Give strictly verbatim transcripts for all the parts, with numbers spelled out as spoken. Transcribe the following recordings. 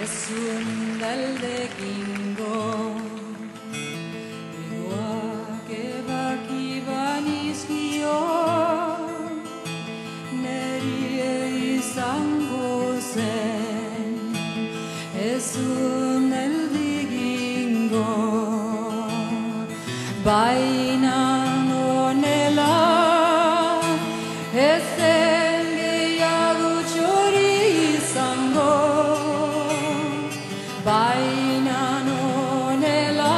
un galdekingo egoak ebaki banizkio nerie izango zen ez un galdekingo baina nonela ez zen gehiago txori izango baina nonela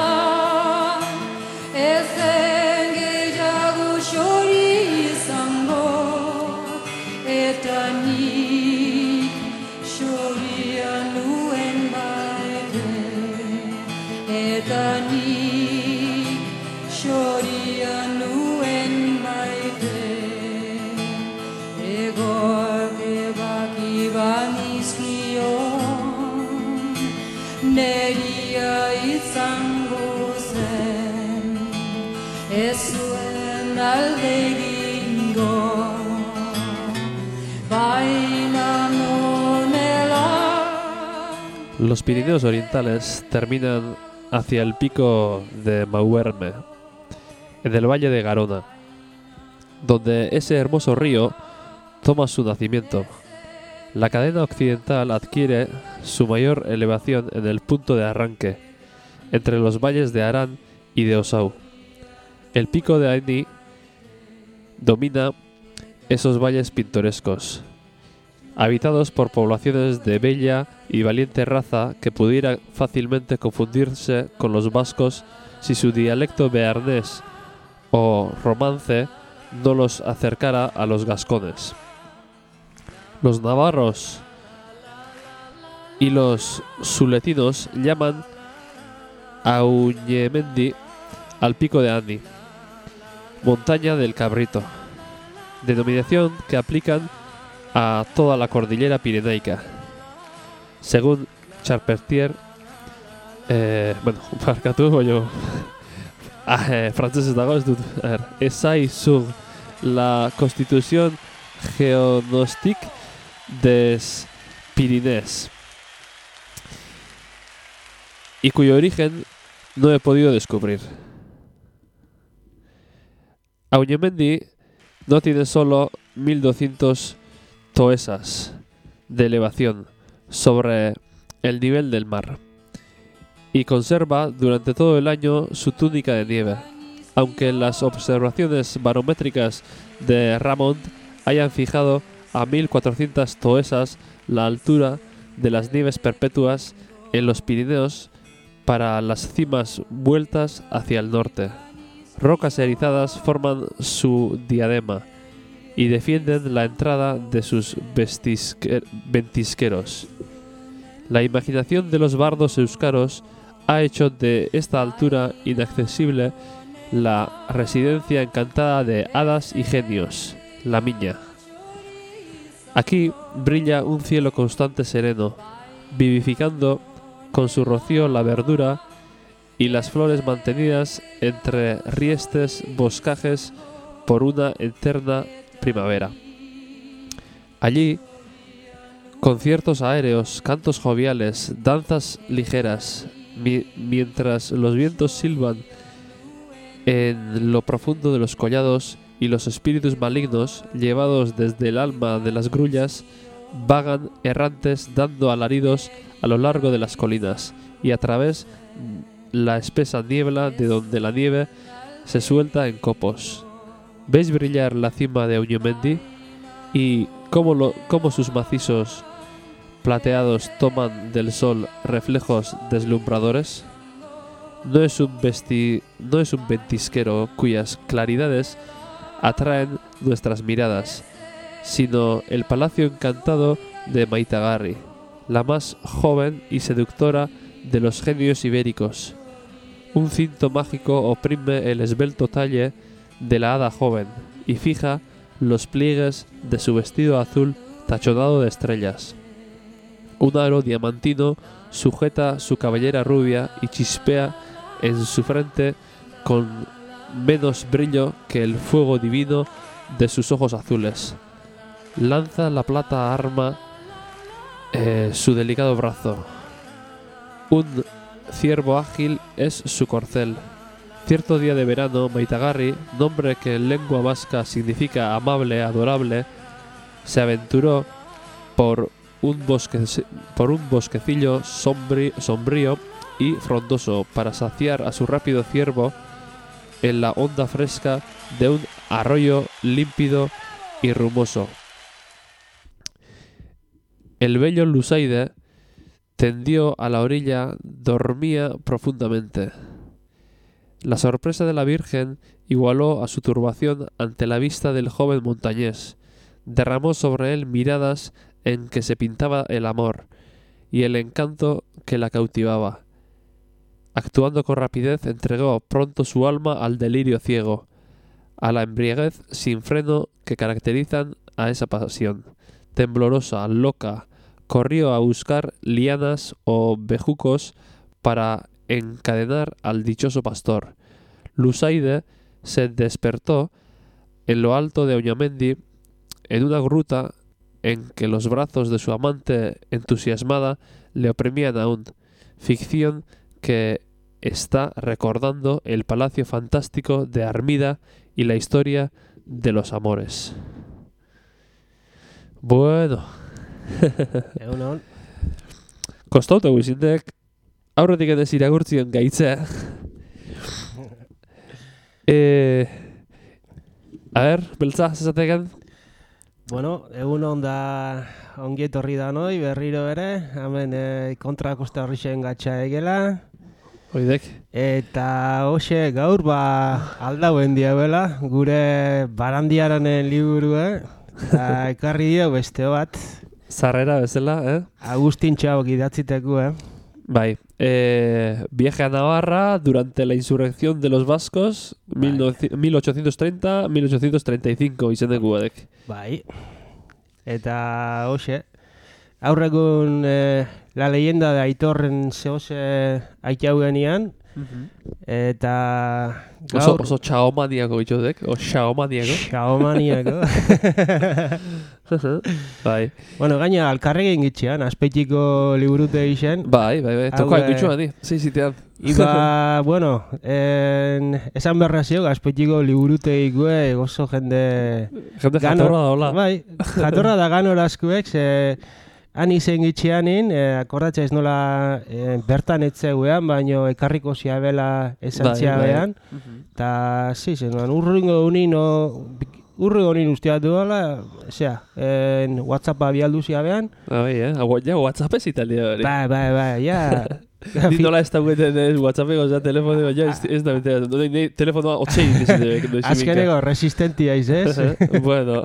ez zen gehiago txori izango eta nik txoria nuen baite eta nik txoria nuen baite egoak ebaki banizkio neria izango zen ez zuen alde egingo baina nonela. Los Pirineos orientales terminan hacia el pico de Mauerme, en el valle de Garona, donde ese hermoso río toma su nacimiento. La cadena occidental adquiere su mayor elevación en el punto de arranque, entre los valles de Arán y de Osau. El pico de Aini domina esos valles pintorescos, habitados por poblaciones de bella y valiente raza que pudiera fácilmente confundirse con los vascos si su dialecto bearnés o romance no los acercara a los gascones. Los navarros y los suletinos llaman Auñemendi al pico de Ani, montaña del Cabrito, denominación que aplican a toda la cordillera pirenaica. Según Charpentier, eh, bueno, barkatu, baina ah, eh, frantzesez dago ez dut, a ver, esai sur la Constitución Geognostique des Pyrénées, y cuyo origen no he podido descubrir. Auñemendi no tiene solo mil doscientos toesas de elevación sobre el nivel del mar y conserva durante todo el año su túnica de nieve, aunque las observaciones barométricas de Ramond hayan fijado a mil cuatrocientas toesas la altura de las nieves perpetuas en los Pirineos para las cimas vueltas hacia el norte. Rocas erizadas forman su diadema y defienden la entrada de sus vestisque- ventisqueros. La imaginación de los bardos euskaros ha hecho de esta altura inaccesible la residencia encantada de hadas y genios, la Miña. Aquí brilla un cielo constante sereno, vivificando con su rocío la verdura y las flores mantenidas entre riestes boscajes por una eterna primavera. Allí, conciertos aéreos, cantos joviales, danzas ligeras, mi- mientras los vientos silban en lo profundo de los collados y los espíritus malignos, llevados desde el alma de las grullas, vagan errantes dando alaridos a lo largo de las colinas y a través la espesa niebla de donde la nieve se suelta en copos. ¿Veis brillar la cima de Auñemendi y cómo, lo, cómo sus macizos plateados toman del sol reflejos deslumbradores? No es un vesti, no es un ventisquero cuyas claridades atraen nuestras miradas, sino el palacio encantado de Maitagarri, la más joven y seductora de los genios ibéricos. Un cinto mágico oprime el esbelto talle de la hada joven y fija los pliegues de su vestido azul tachonado de estrellas. Un aro diamantino sujeta su cabellera rubia y chispea en su frente con menos brillo que el fuego divino de sus ojos azules. Lanza la plata arma eh, su delicado brazo. un ciervo ágil es su corcel. Cierto día de verano, Maitagarri, nombre que en lengua vasca significa amable, adorable, se aventuró por un, bosque, por un bosquecillo sombrí, sombrío y frondoso para saciar a su rápido ciervo en la onda fresca de un arroyo límpido y rumoso. El bello Lusaide tendió a la orilla, dormía profundamente. La sorpresa de la Virgen igualó a su turbación ante la vista del joven montañés. Derramó sobre él miradas en que se pintaba el amor y el encanto que la cautivaba. Actuando con rapidez, entregó pronto su alma al delirio ciego, a la embriaguez sin freno que caracterizan a esa pasión. Temblorosa, loca, corrió a buscar lianas o bejucos para encadenar al dichoso pastor. Lusaide se despertó en lo alto de Oñamendi, en una gruta en que los brazos de su amante entusiasmada le oprimían aún, ficción que está recordando el palacio fantástico de Armida y la historia de los amores. Bueno. Egunon. Kostauta guizintek aurretik ez irakurtzien gaitzea. eh, a ver, beltza, zezateken? Bueno, egunon da ongi etorri da noi, berriro ere, hemen e, kontra kosta horrixen gatsa egela. Oidek. Eta hoxe gaur ba aldauen diabela, gure barandiaranen liburua, eta ekarri dio beste bat. Zarrera bezala, eh? Agustin Txabok idatziteko, eh? Bai, eh, viaje a Navarra durante la insurrección de los vascos, mil ochocientos treinta a mil ochocientos treinta y cinco izendeku badek. Bai, eta hoxe, aurregun eh, la leyenda de Aitorren zehose aitaugenean, eta Oso, gaur... oso txaomaniako bitxodek, o txaomaniako. Txaomaniako. Bai. Bueno, gaina alkarregin gitxean, azpeitiko liburute egiten. Bai, bai, bai, tokoa Hau, gitxuan di, zizitean. Iba, bueno, en, esan berrazio, azpeitiko liburute ikue, oso jende... Jende jatorra da, hola. Bai, jatorra da ganorazkuek, ze... Han izen gitxeanin, eh, akordatza ez nola eh, bertan etzeguean, baino ekarriko ziabela esantzia bai, behan. Eta, zi, zenuan, urringo unin, urringo unin usteat duela, zera, en WhatsAppa bialdu ziabean. Bai, eh? Agua, ja, WhatsApp ez italia hori. Bai, bai, bai, ja. Ni nola ez dagoeten ez WhatsAppeko, ja, telefono, ja, ez, ez da betea. No, ne, telefonoa otxein izan. Azkeneko, resistentia izez. Bueno,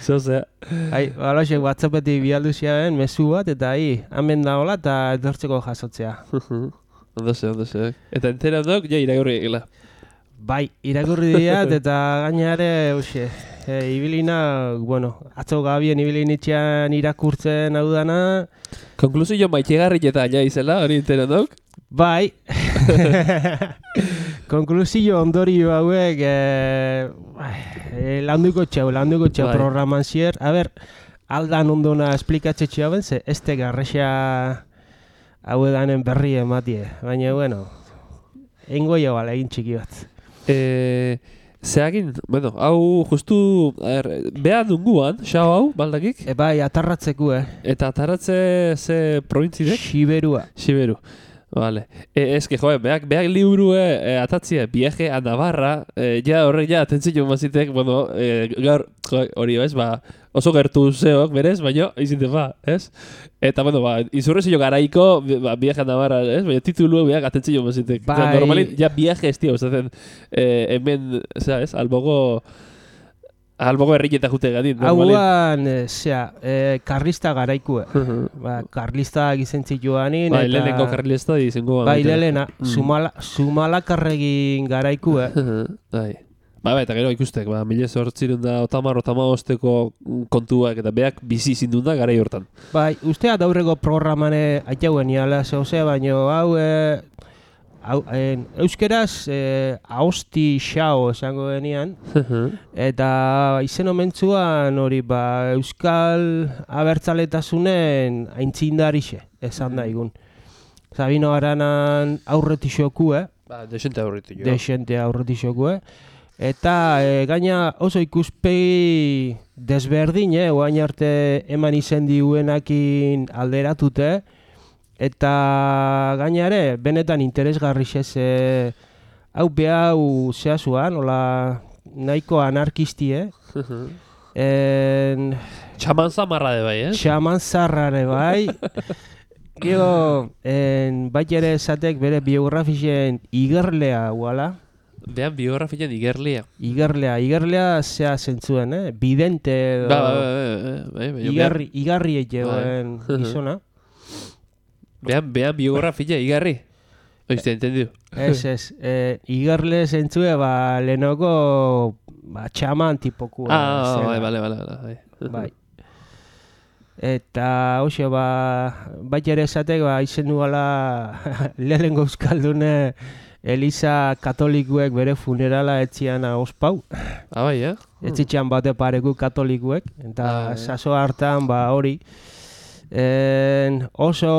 zozea. Hai, baloxek WhatsAppetik bialdu ziabean, mezu bat, eta hi, hamen da hola, eta etortzeko jasotzea. Ondo ze, ondo ze. Eta entera ondok, ja, irakurri egila. Bai, irakurri diat, eta gainare, hoxe, e, ibilina, bueno, atzo gabien ibilinitxean irakurtzen hau dana. Konklusio maitegarri eta ja izela, hori entera ondok? Bai. Konklusio ondorio hauek, e, e, landuko txau, landuko txau bai. Programan zier. A ber, aldan ondona esplikatze txau ben, ze ez te garrexa hau edanen berri ematie. Baina, bueno, eingo jau ala egin txiki bat. Eh, Zeagin, bueno, hau justu, a ver, behan dunguan, xau hau, baldakik? E, bai, atarratzeko, eh? Eta atarratze ze provintzidek? Xiberua. Xiberu. Vale. E, es que, joe, beak, beak liburue e, atatzie viaje a Navarra, e, ja horrek ja atentzio mazitek, bueno, e, gaur, joe, hori, ez, ba, oso gertu zeok, berez, baina, izinte, ba, ez? Eta, bueno, ba, izurrezio garaiko, ba, viaje a Navarra, ez? Baina titulu beak atentzio mazitek. Bai. O sea, normalin, ja viaje ez, tío, ustezen, e, hemen, zera, ez, albogo... Albogo herrieta jute gadin, normalin. Hauan, e, zera, e, karlista garaikue. Ba, karlista gizentzit joanin. Bai, eta... lehenengo karlista dizengo. Bai, lehena, sumala, sumalakarregin garaikue. Bai. Ba, ba, eta gero ikustek, ba, mila zortzirun da otamar, otamagosteko kontuak, eta beak bizi zindun da garai hortan. Bai, usteat aurreko programane aitauen iala zehose, baino hau, e, hau en, euskeraz e, ahosti xao esango genian, eta izen omentzuan hori ba, euskal abertzaletasunen aintzindarixe esan da igun. Sabino Aranan aurretixokue, Ba, desente aurritu jo. desente aurretixokue, eta e, gaina oso ikuspegi desberdin, eh, oain arte eman izen diuenakin alderatute, eta gainare, benetan interesgarri ez, e, hau behau zehazuan, hola nahiko anarkistie, en, Txaman zamarra de bai, eh? Xaman zarrare bai. Gero, en, bai ere esatek bere biografien igerlea guala. Behan biografian igerlia. Igerlea, igerlea zea zentzuen, eh? Bidente edo Ba, ba, ba, ba, ba, ba, igarri, igarri egeoen gizona. Behan, behan biografia igarri. Oizte, entendiu? Ez, ez. Eh, igerle zentzue, ba, lehenoko ba, txaman tipokua. Ah, zela. bai, bale, bale, bale. Bai. Eta, hoxe, ba, bai ere esatek, ba, izen nuala lehenengo euskaldune Eliza katolikuek bere funerala etzian ospau. Ah, bai, eh? Etzitxean bate pareku katolikuek. Eta Ah, saso hartan, ba, hori. En, oso,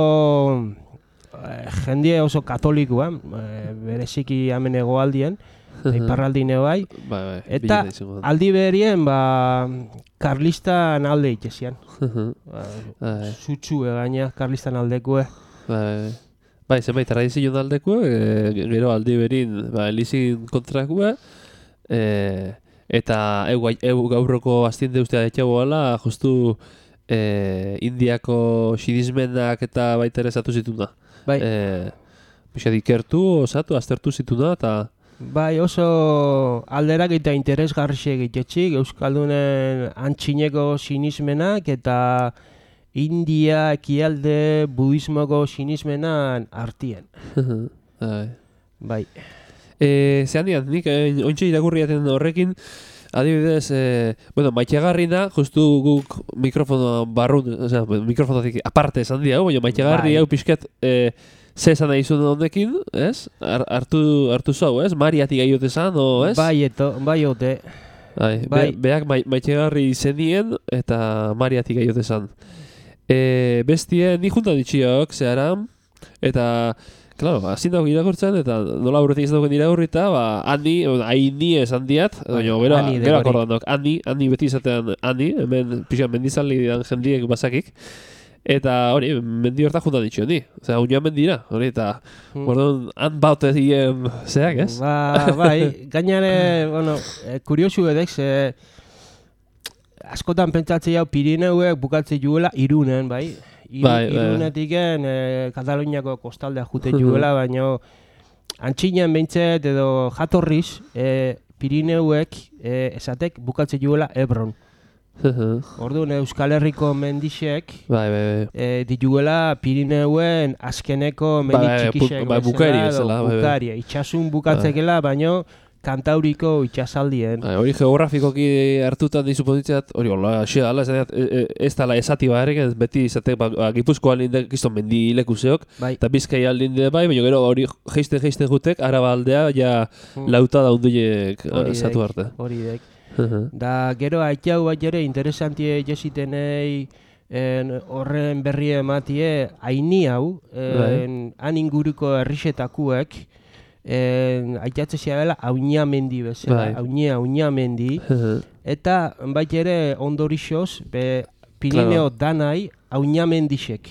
eh, jendie oso katolikua, eh, bereziki hemen hegoaldien, eta iparraldine bai. Bai, bai. Eta bileta izango da. aldi berien, ba, karlistan alde itxezian. Ba, Bai, Zutxue gaina, karlistan aldekue. bai. Bai, zenbait tradizio aldeko, e, gero aldi berin, ba, elizin kontrakua, e, eta eu, eu gaurroko astien deustea etxago gala, justu e, Indiako xidizmenak eta baita ere zatu zituna. Bai. E, Pixat ikertu, osatu, aztertu zituna, eta Bai, oso alderak eta interesgarri egitetxik, Euskaldunen antxineko sinismenak eta India ekialde budismoko sinismenan artien. bai. Bai. E, zehan dian, nik eh, ointxe irakurriaten horrekin, adibidez, e, bueno, maitxagarri da, justu guk mikrofono barrun, osea, mikrofonotik aparte esan dia, baina maitxagarri Bai. hau pixkat, e, ze esan nahi zuen honekin, ez? Ar, hartu, hartu zau, ez? Mariatik gaiote esan, o, ez? Bai, eto, bai ote. Bai, bai. Be, beak mai, maitxagarri izenien, eta Mariatik gaiote esan. E, bestie, ni juntan ditxiok, zehara, eta, claro, hazin dago irakurtzen, eta nola aurretik izan dagoen irakurrita, ba, handi, haini esan diat, baina gero, Ani de gero hori. akordandok, handi, handi beti izatean handi, hemen pixan mendizaldi dian jendiek basakik, eta hori, mendi horta juntan ditxio ni, osea, unia mendira, hori, eta, Hmm. gordon, han baute dien, zeak, ez? Ba, bai, gainare, bueno, eh, kuriosu edek, ze askotan pentsatzea hau Pirineuek bukatzen juela Irunen, bai? Iru, Bai, bai. Irunetiken eh, Kataluniako kostaldea jute juela, baina antxinen behintzet edo jatorriz eh, Pirineuek eh, esatek bukatzen juela Ebron. Orduan Euskal Herriko mendixek Bai, bai, bai. eh, dituela Pirineuen azkeneko mendi Bai, bai, txikixek pu- bai, bukari bezala, bai, bai. bukaria, itxasun bukatzekela, baino Kantauriko itxasaldien. Bai, hori geografikoki hartutan dizu pozitzeat, hori hola, xea, ala, esateat, e, e, ez dala esati barik, ez beti izatek, ba, ba, Gipuzkoan linde, kiston mendi lekuseok, Bai. eta Bizkai aldinde bai, baina gero hori jeisten jeisten jutek, araba aldea, ja Mm. lauta daunduiek Hori zatu dek, arte. Hori dek. Da, gero haitxau bat ere interesantie jesitenei en, horren berri ematie haini hau, en, han inguruko herrixetakuek, en, aitatze dela Auñamendi bezala, Bai. Auña, Auñamendi, eta bait ere ondorixoz, be Pirineo danai Auñamendixek.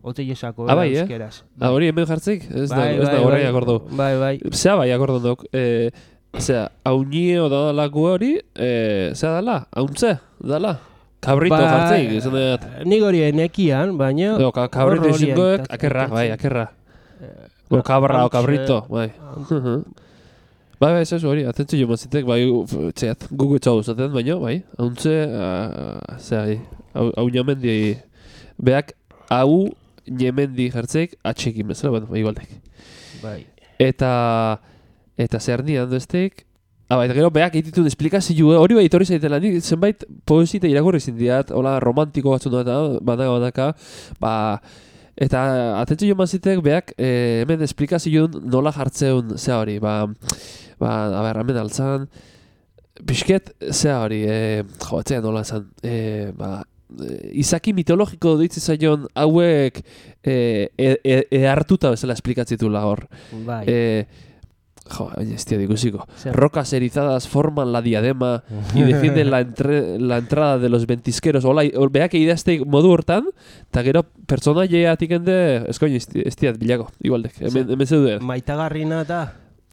Ote jesako, Ah, bai, eh? euskeraz. Ah, hori hemen jartzik? Ez da, Bai, ez da bai, horrein bai. akordu. Bai, bai. Zea bai akordon dok, e, zea, haunio da lagu hori, e, zea dala, hauntze, dala. Kabrito Ba, jartzik, izan dut. Nik hori enekian, baina... No, ka, kabrito hor hori izingoek, aitat- akerra, bai, aitatze. akerra. O kabra, o hauntxe, kabrito, bai. Bai, bai, ez hori, atentzu jo mazitek, bai, uf, txeat, gugu txau zaten, baina, bai, hauntze, uh, zea, hau, hau namendi, beak, hau namendi jartzeik, atxekin bezala, bueno, bai, igualdek. Bai. Eta, eta zer nian duzteik, ah, bai, eta gero beak egititun esplikazio, hori bai, etorri zaitela, nik zenbait poesita irakurri zindiat, hola, romantiko batzun da, badaka, badaka, ba, eta atentzu jo mazitek, beak, eh, hemen esplikazio nola jartzeun, zea hori, ba, ba, a ber, hemen altzan, pixket, zea hori, e, jo, etzea nola esan, e, ba, izaki mitologiko ditzi zaion hauek e, e, e, e hartuta bezala esplikatzitula hor. Bai. E, jo, ez tia dikusiko. Zer. Rocas erizadas forman la diadema y defienden la, entre, la entrada de los ventisqueros. Hola, beak idazteik modu hortan, eta gero pertsonaia atikende, eskoin, ez tia bilago, igualdek, hemen, hemen zeuden. Maitagarrina eta...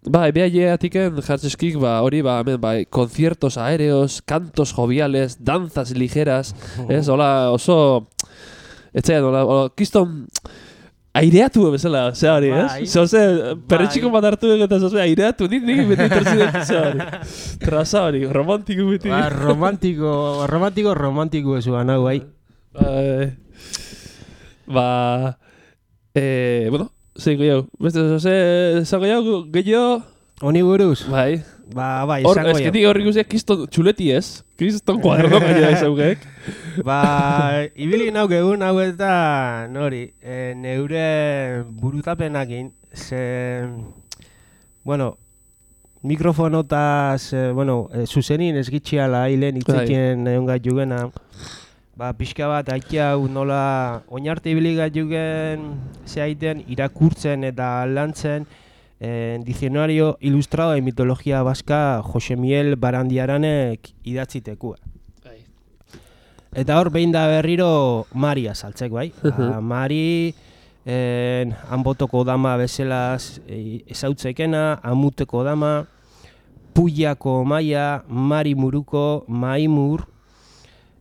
Ba, ebea jeatiken jartzeskik, ba, hori, ba, hemen, ba, conciertos aéreos, cantos joviales, danzas ligeras, ez, hola, oso, etxean, hola, hola, kiston, aireatu bezala, zea hori, ez? Bai. Zoze, perretxiko bat hartu eta zoze, aireatu, nik nik beti torzi dut, zea hori. Traza hori, romantiko beti. Ba, romantiko, romantiko, romantiko ezuan hau, bai. Ba, ba, eh, bueno, zein gehiago, beste zoze, zango jau, gehiago, Honi buruz? bai. Ba, bai, Hor, esango jau. esketik horrik uziak kiston txuleti ez, kiston kuaderno gaina izaukek. Ba, ibili nauk egun hau eta, nori, e, neure burutapenakin, ze, bueno, mikrofonotaz, e, bueno, e, zuzenin ezgitxiala hilen itzetien egon gat jugena, ba, pixka bat haiti hau nola oinarte ibili gat jugen zehaiten irakurtzen eta lantzen eh, Diccionario Ilustrado de Mitología Vasca Jose Miel Barandiaranek idatzitekoa. Eta hor behin da berriro Maria saltzek, bai? Ba, Mari, en, Anbotoko dama bezalaz e, ezautzekena, Amuteko dama, Puyako maia, Mari Muruko, Maimur,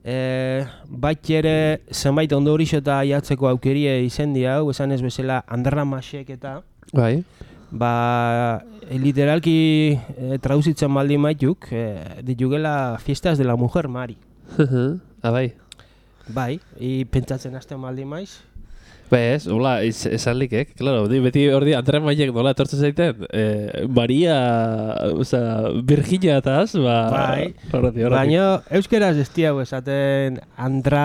e, bat ere zenbait ondorixo eta jatzeko aukerie izendi hau, esan ez bezala Andramasek eta, Bai. ba, literalki e, traduzitzen baldin maituk, e, ditugela Fiestas de la Mujer Mari. Ah, bai. Bai, i pentsatzen hasten baldin maiz. Ba ez, hola, ez, esan likek, claro, di, beti hor di, Andrea Maiek nola etortzen zaiten, eh, Maria, oza, Virginia eta az, ba, Bai, horreti, horreti. baina euskeraz ez diago esaten Andra,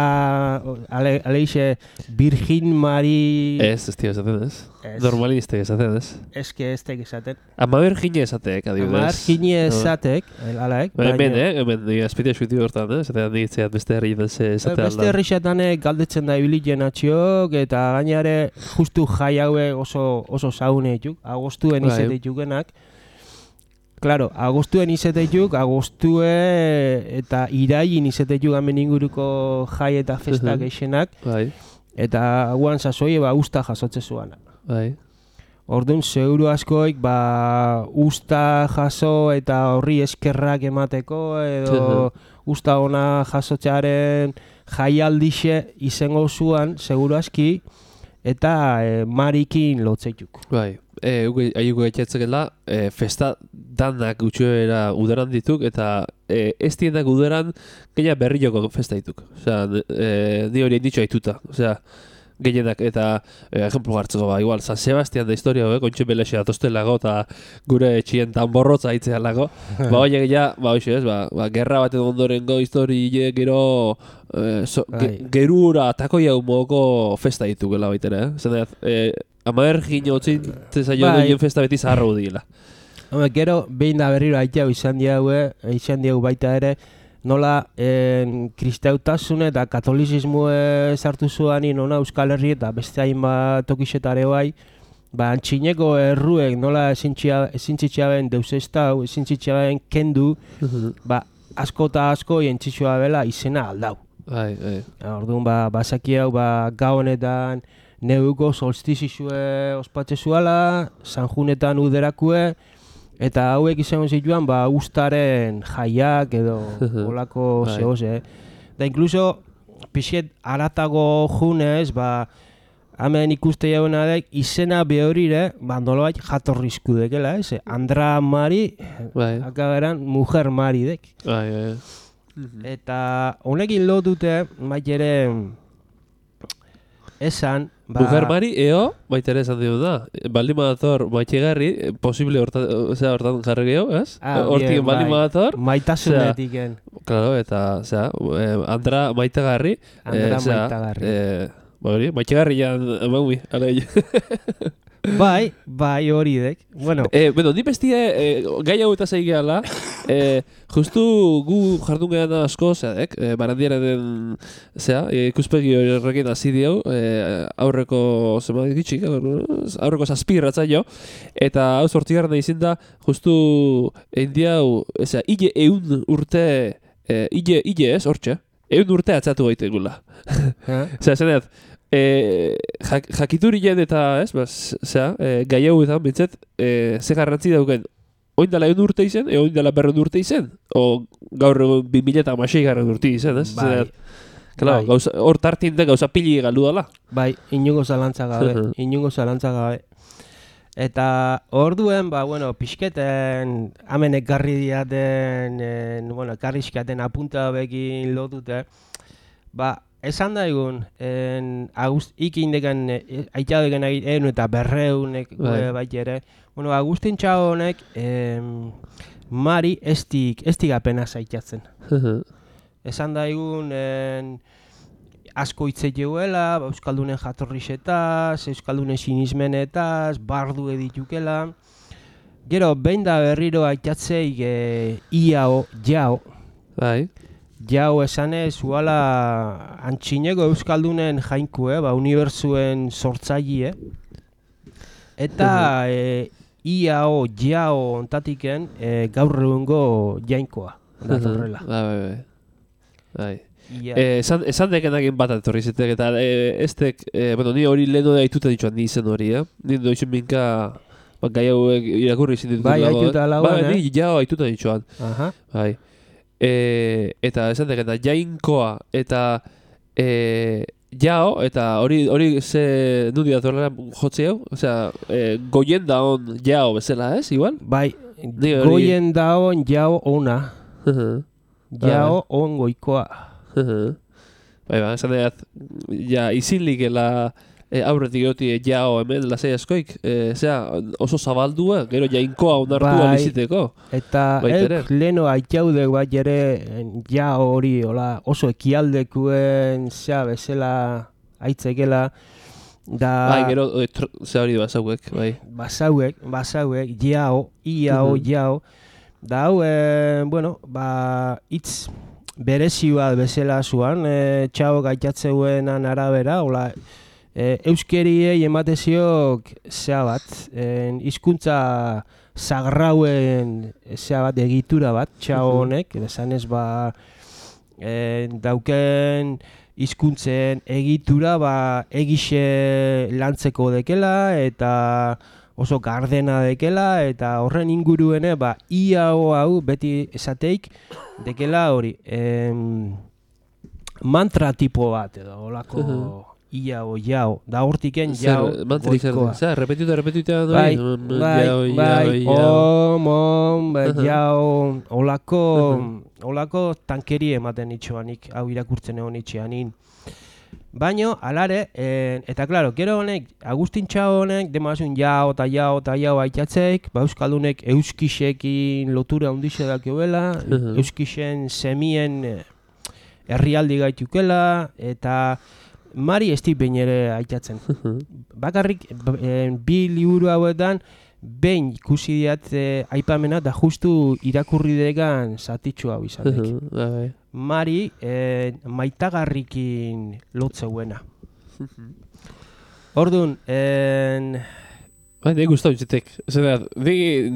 ale, aleixe, Virgin Mari... Ez, ez tio esaten ez. Ez. Normaliste esaten ez. Eske ez tek esaten. Ama Virginia esatek, adibidez. Amar gini esatek, alaek. Ba, hemen, eh, hemen, azpitea suitu hortan, eh, esatean digitzean beste herri ze esatea Beste alda. herrixatanek galdetzen da ibilien atxiok, eta gainare justu jai haue oso, oso zaune dituk, agostuen Bai. izete ditukenak. Claro, agostuen izete dituk, agostue eta irailin izete dituk hemen inguruko jai eta festak Mhm. eixenak, Bai, eta guan sasoi ba usta jasotze zuana. bai. Orduan, seguru askoik, ba, usta jaso eta horri eskerrak emateko, edo usta ona jasotzearen jaialdixe izango zuan, seguru aski, eta e, marikin lotzeituk. Bai, e, aiuko gaitxetzekela, e, festa danak gutxuera udaran dituk, eta e, ez dienak udaran gaina berrioko festa dituk. Osea, e, di hori ditxo aituta. Osea, gehienak, eta e, ejemplo hartzeko, ba, igual, San Sebastian da historia, eh, kontxe belexe atostelago, eta gure etxien tanborrotza hitzean lago. Ba, horiek ja, ba, hoxe ez, ba, ba, gerra baten ondorengo historie gero e, so, ge, Bai. gerura takoi hau mogoko festa ditukela baitera, eh? Zer e, Amaer gino otzin zailo Bai. duen festa beti zaharro dila. Home, gero, behin da berriro aitea izan diaue, izan diagu baita ere, nola en, kristautasun eta katolizismo sartu zuan nona Euskal Herri eta beste hainbat tokixetare bai, ba, antxineko erruek nola ezintzitxaben deusestau, ezintzitxaben kendu, ba, asko eta asko jentzitsua bela izena aldau. Bai, bai. Orduan, ba, basaki hau, ba, gau honetan neuko solstizizue ospatze zuala, sanjunetan uderakue, eta hauek izango zituan, ba, ustaren jaiak edo olako Bai. zehoz, eh? Da, inkluso, pixet aratago junez, ba, hemen ikuste jauna dek, izena behorire, ba, nolabait jatorrizku dekela, ez? Andra Mari, Bai, akaberan, mujer Mari dek. bai, bai. Eta honekin lotute, bait ere, esan, ba... Mujer Mari, eo, baita ere esan dugu da. Baldin badator maitxegarri, posible hortan, osea, hortan jarri gehiago, ez? Ah, Hortik bien, baldin bai. badator. Maitasunetiken. Claro, eta, osea, eh, Andra maitagarri. Andra eh, osea, maitagarri. Eh, ba hori, maitagarri jan, emaumi, ala Bai, bai hori dek. Bueno, Eh, bueno, ni bestie eh, gai hau eta zeigeala, eh, justu gu jardun gehan asko, zeadek, eh, barandiara den, zea, eh, ikuspegi horrekin hasi diau, eh, aurreko, zema ditxik, aurreko zazpirratza jo, eta hau zortzigarren izin da, justu indiau, ezea, hile eun urte, eh, hile, hile ez, hortxe, eun urte atzatu gaite gula. Zea, zeneat, E, jak, jakiturien eta, ez, bas, zera, e, gai hau eta bintzet, e, ze garrantzi dauken, oin dela egun urte izen, e oin dela berren urte izen, o gaur egun bi mila eta hamasei garren urte izen, ez? Bai. Claro, Bai. gauza, hor tartin da gauza pili galdu dela. bai, inungo zalantza gabe, inungo zalantza gabe. Eta orduen, ba, bueno, pixketen, hemen ekarri diaten, en, bueno, ekarri izkaten apunta bekin lotute, ba, esan daigun, en, Agust, ikindeken, e, aitadeken egin eta berreunek Bai. bai ere, bueno, Agustin Txao honek, em, Mari estik, estik apena zaitatzen. Esan daigun, en, asko hitz egeuela, ba, Euskaldunen jatorrixetaz, Euskaldunen sinismenetaz, bardu editukela. Gero, behin da berriro aitatzeik e, iao, jao, Bai. jau esanez, uala antxineko Euskaldunen jainku, eh, ba, unibertsuen sortzaile. Eta e, iao, jao ontatiken e, gaur egungo jainkoa. Datorrela. Bai, bai, bai. Bai. Ia, Eh, esan, esan dekenakin bat etorri zitek, eta eh, estek, eh, bueno, ni hori leheno da aituta dituan ni izen hori, eh? Ni doizun minka, ba, gai hauek irakurri izin ditut. Bai, dago, aituta eh? lauan, Bai, eh? ni jau aituta dituan. aha. Bai. E, eta esan dekena, jainkoa eta e, jao, eta hori hori ze nundi datorrela jotzi hau? Osea, e, goien da on jao bezala, ez, igual? Bai, Ni hori- goien daon jau ona, jau on goikoa. Bai, ba, esan dut, ja, izinlikela e, aurretik goti jao hemen lasai askoik, e, zera, oso zabaldua, gero jainkoa onartua Bai. biziteko. Eta Baita ere. euk leno aitaudek bat ere ja hori hola, oso ekialdekuen zea bezala aitzekela da Bai, gero, e, tr- ze hori bazauek, bai. basauek, basauek, jao, iao, Mhm. jao, da hau, e, bueno, ba, hitz berezi bat bezala zuan, e, txao gaitatzeuenan arabera, hola, e, euskeriei emateziok zea bat, en, hizkuntza sagrauen zea bat, egitura bat, txao Mhm. honek, esanez ba, e, dauken hizkuntzen egitura ba egixe lantzeko dekela eta oso gardena dekela eta horren inguruene ba ia hau beti esateik dekela hori em, mantra tipo bat edo holako Mhm. ia o jao da hortiken Zer, jao mantrik zer, goikoa. zer, repetituta, repetituta, Bai, mm, bai, jao, bai, jao, jao. om, om, ba, Aha. jau, olako, Aha. olako tankeri ematen itxoanik, hau irakurtzen egon itxeanin. Baino, alare, eh, eta klaro, gero honek, Agustin Txao honek, demazun jau eta jau eta jau aitatzeik, ba Euskaldunek euskisekin lotura handixe dakioela, Aha. euskisen semien eh, herrialdi gaitukela, eta Mari ez behin ere aitatzen. Bakarrik b- eh, bi liburu hauetan behin ikusi diat eh, aipamena da justu irakurri degan zatitxu hau izatek. Bai. Mari eh, maitagarrikin lotzeuena. Orduan, en, Bai, nahi gustau itxetek. Zena, di,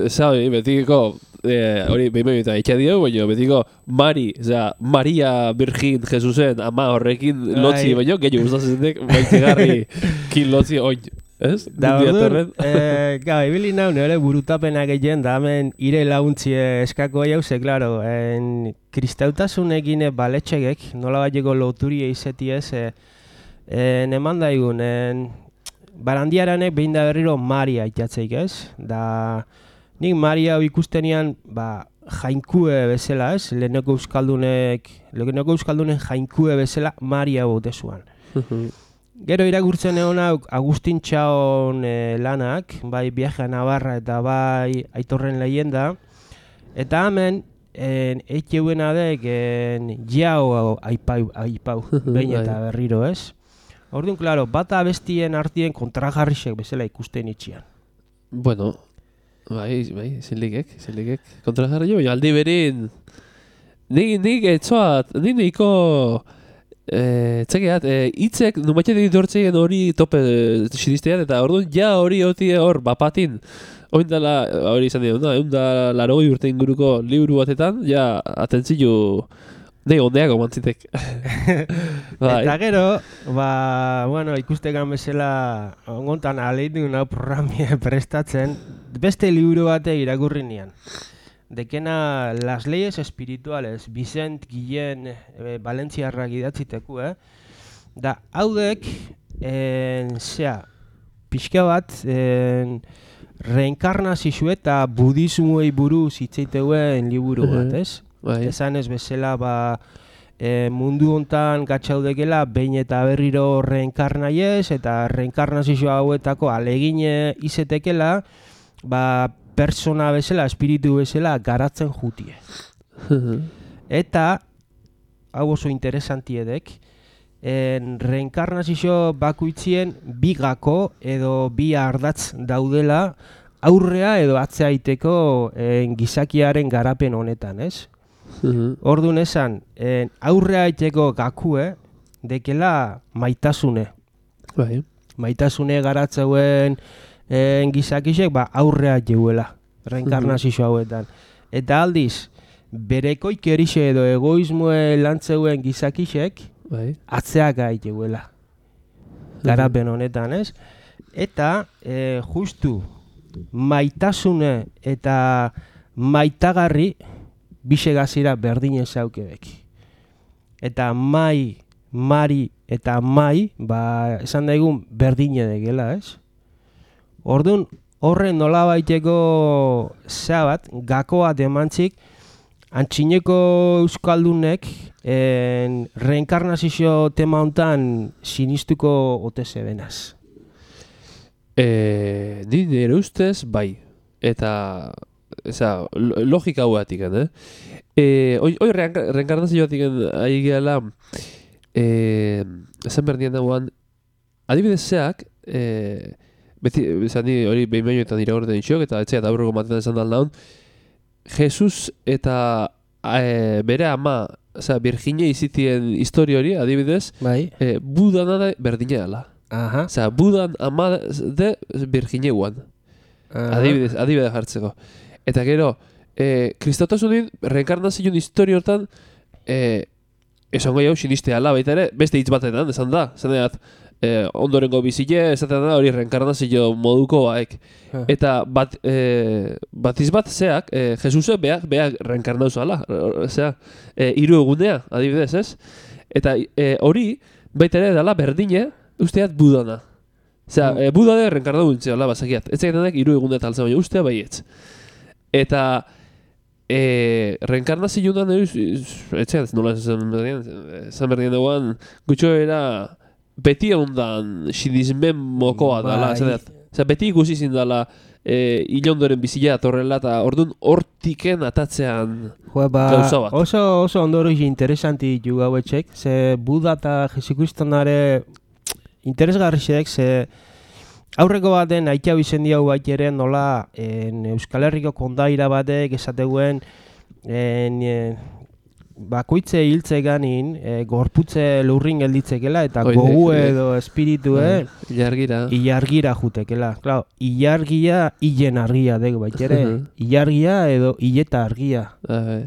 za hori, betikiko, eh, hori behin behin eta itxa dio, baina betiko Mari, zera, Maria Virgin Jesusen ama horrekin lotzi, Bai. baina gehiago gustatzen dek, maitegarri kin lotzi oin, ez? da Nundi orduan, datorren. eh, gau, ibili nau nire burutapena gehien da hemen ire launtzie eskako jauze, klaro, en, kristautasunekin baletxegek, nola bateko loturie izeti ez, eh, en, eman daigun, en, barandiaranek behin da berriro Mari aitatzeik ez, da nik Mari hau ikustenian, ba, jainkue bezala ez, leheneko euskaldunek, leheneko euskaldunen jainkue bezala Mari hau dezuan. Gero irakurtzen egon hau Agustin Txaon e, lanak, bai Viaje a Navarra eta bai Aitorren leyenda, eta hemen en, eitxeuena dek en, jau hau aipau, aipau behin eta berriro ez. Orduan, klaro, bata abestien artien kontrajarrisek bezala ikusten itxian. Bueno, bai, bai, zinlikek, zinlikek. Kontrajarri jo, aldi berin... Nik, nik etzoat, nik niko... Eh, txekeat, eh, itzek numatxe ditortzeien hori tope sinistean, eta orduan ja hori hoti hor bapatin. Oindala, hori izan dira, egun da laro urte inguruko liburu batetan, ja atentzilu... Nei, ondeako mantzitek. Bai. Eta gero, ba, bueno, ikustekan bezala ongontan aleitu nau programia prestatzen, beste liburu bate irakurri nian. Dekena Las leyes espirituales, Vicent Guillén e, Valentziarrak idatziteku, eh? Da, haudek, en, zera, pixka bat, en, reenkarnazio eta budismoei buruz hitzeiteuen liburu bat, ez? Bai. Esan ez bezala, ba, e, mundu hontan gatzaudekela behin eta berriro reenkarnaiez, eta reenkarnazio hauetako alegine izetekela, ba, persona bezala, espiritu bezala garatzen jutie. Eta, hau oso interesantiedek, en reenkarnazio bakoitzien bi gako edo bi ardatz daudela aurrea edo atzea iteko en, gizakiaren garapen honetan, ez? Orduan esan, en, aurrea iteko gakue, dekela maitasune. Bai. Maitasune garatzeuen en, gizakisek ba, aurrea jeuela, reenkarnazio hauetan. Eta aldiz, berekoik erixe edo egoismoe lantzeuen gizakisek, Bai. atzeak gai jeuela. Garapen honetan, ez? Eta, e, justu, maitasune eta maitagarri bisegazira berdine zaukebek. Eta mai, mari eta mai, ba, esan daigun berdine degela, ez? Orduan, horren nola baiteko zabat, gakoa demantzik, antxineko euskaldunek en, reenkarnazio tema hontan sinistuko ote zebenaz. Eh, ni nire ustez, bai. Eta, eza, logika hauatik, eh? Eh, hoi, hoi reenkarnazioatik ari gehala, eh, esan berdien dagoan, adibidez zeak, eh, beti, esan ni hori behin behin eta nire horretan itxok, eta etxea eta aurreko maten esan dal naun, Jesus eta e, bere ama, oza, Virginia izitien historia hori, adibidez, Bai. e, Budana da berdina dela. Aha. Oza, Budan ama de Virginia guan. Adibidez, adibidez jartzeko. Eta gero, e, kristotasunin, reenkarnazioen historia hortan, e, esan goi hau sinistea ala, baita ere, beste hitz batetan, esan da, esan da, eh, ondorengo bizile, esaten da hori reenkarnazio moduko baek. Eta bat, eh, batiz bat zeak, eh, Jesuse beak, beak reenkarnau zala, zea, eh, hiru egunea, adibidez, ez? Eta eh, hori, baita ere dela berdine, usteat Budana. Zea, mm. eh, Buda de reenkarnau gintzela, bazakiat. Ez egitenak hiru egunea taltzen, baina ustea baietz. Eta E, reenkarnazio da etxean, nola esan berdien, esan berdien dagoan, gutxo era beti ondan sinismen mokoa dala, esan dut. Beti ikusi zindala e, ilondoren bizila atorrela, eta orduan hortiken atatzean ba, gauza bat. Oso, oso ondoro interesanti ju gauetxek, ze Buda eta Jesukristonare interesgarriak, ze aurreko baten aitea bizen diau bat ere nola en, Euskal Herriko kondaira batek esateguen en, en, bakoitze hiltze ganin e, gorputze lurrin gelditzekela eta Oide, gogu e, edo espiritua ilargira ilargira jutekela. Claro, ilargia hilen argia dego bat ere, ilargia edo hileta argia. Ai.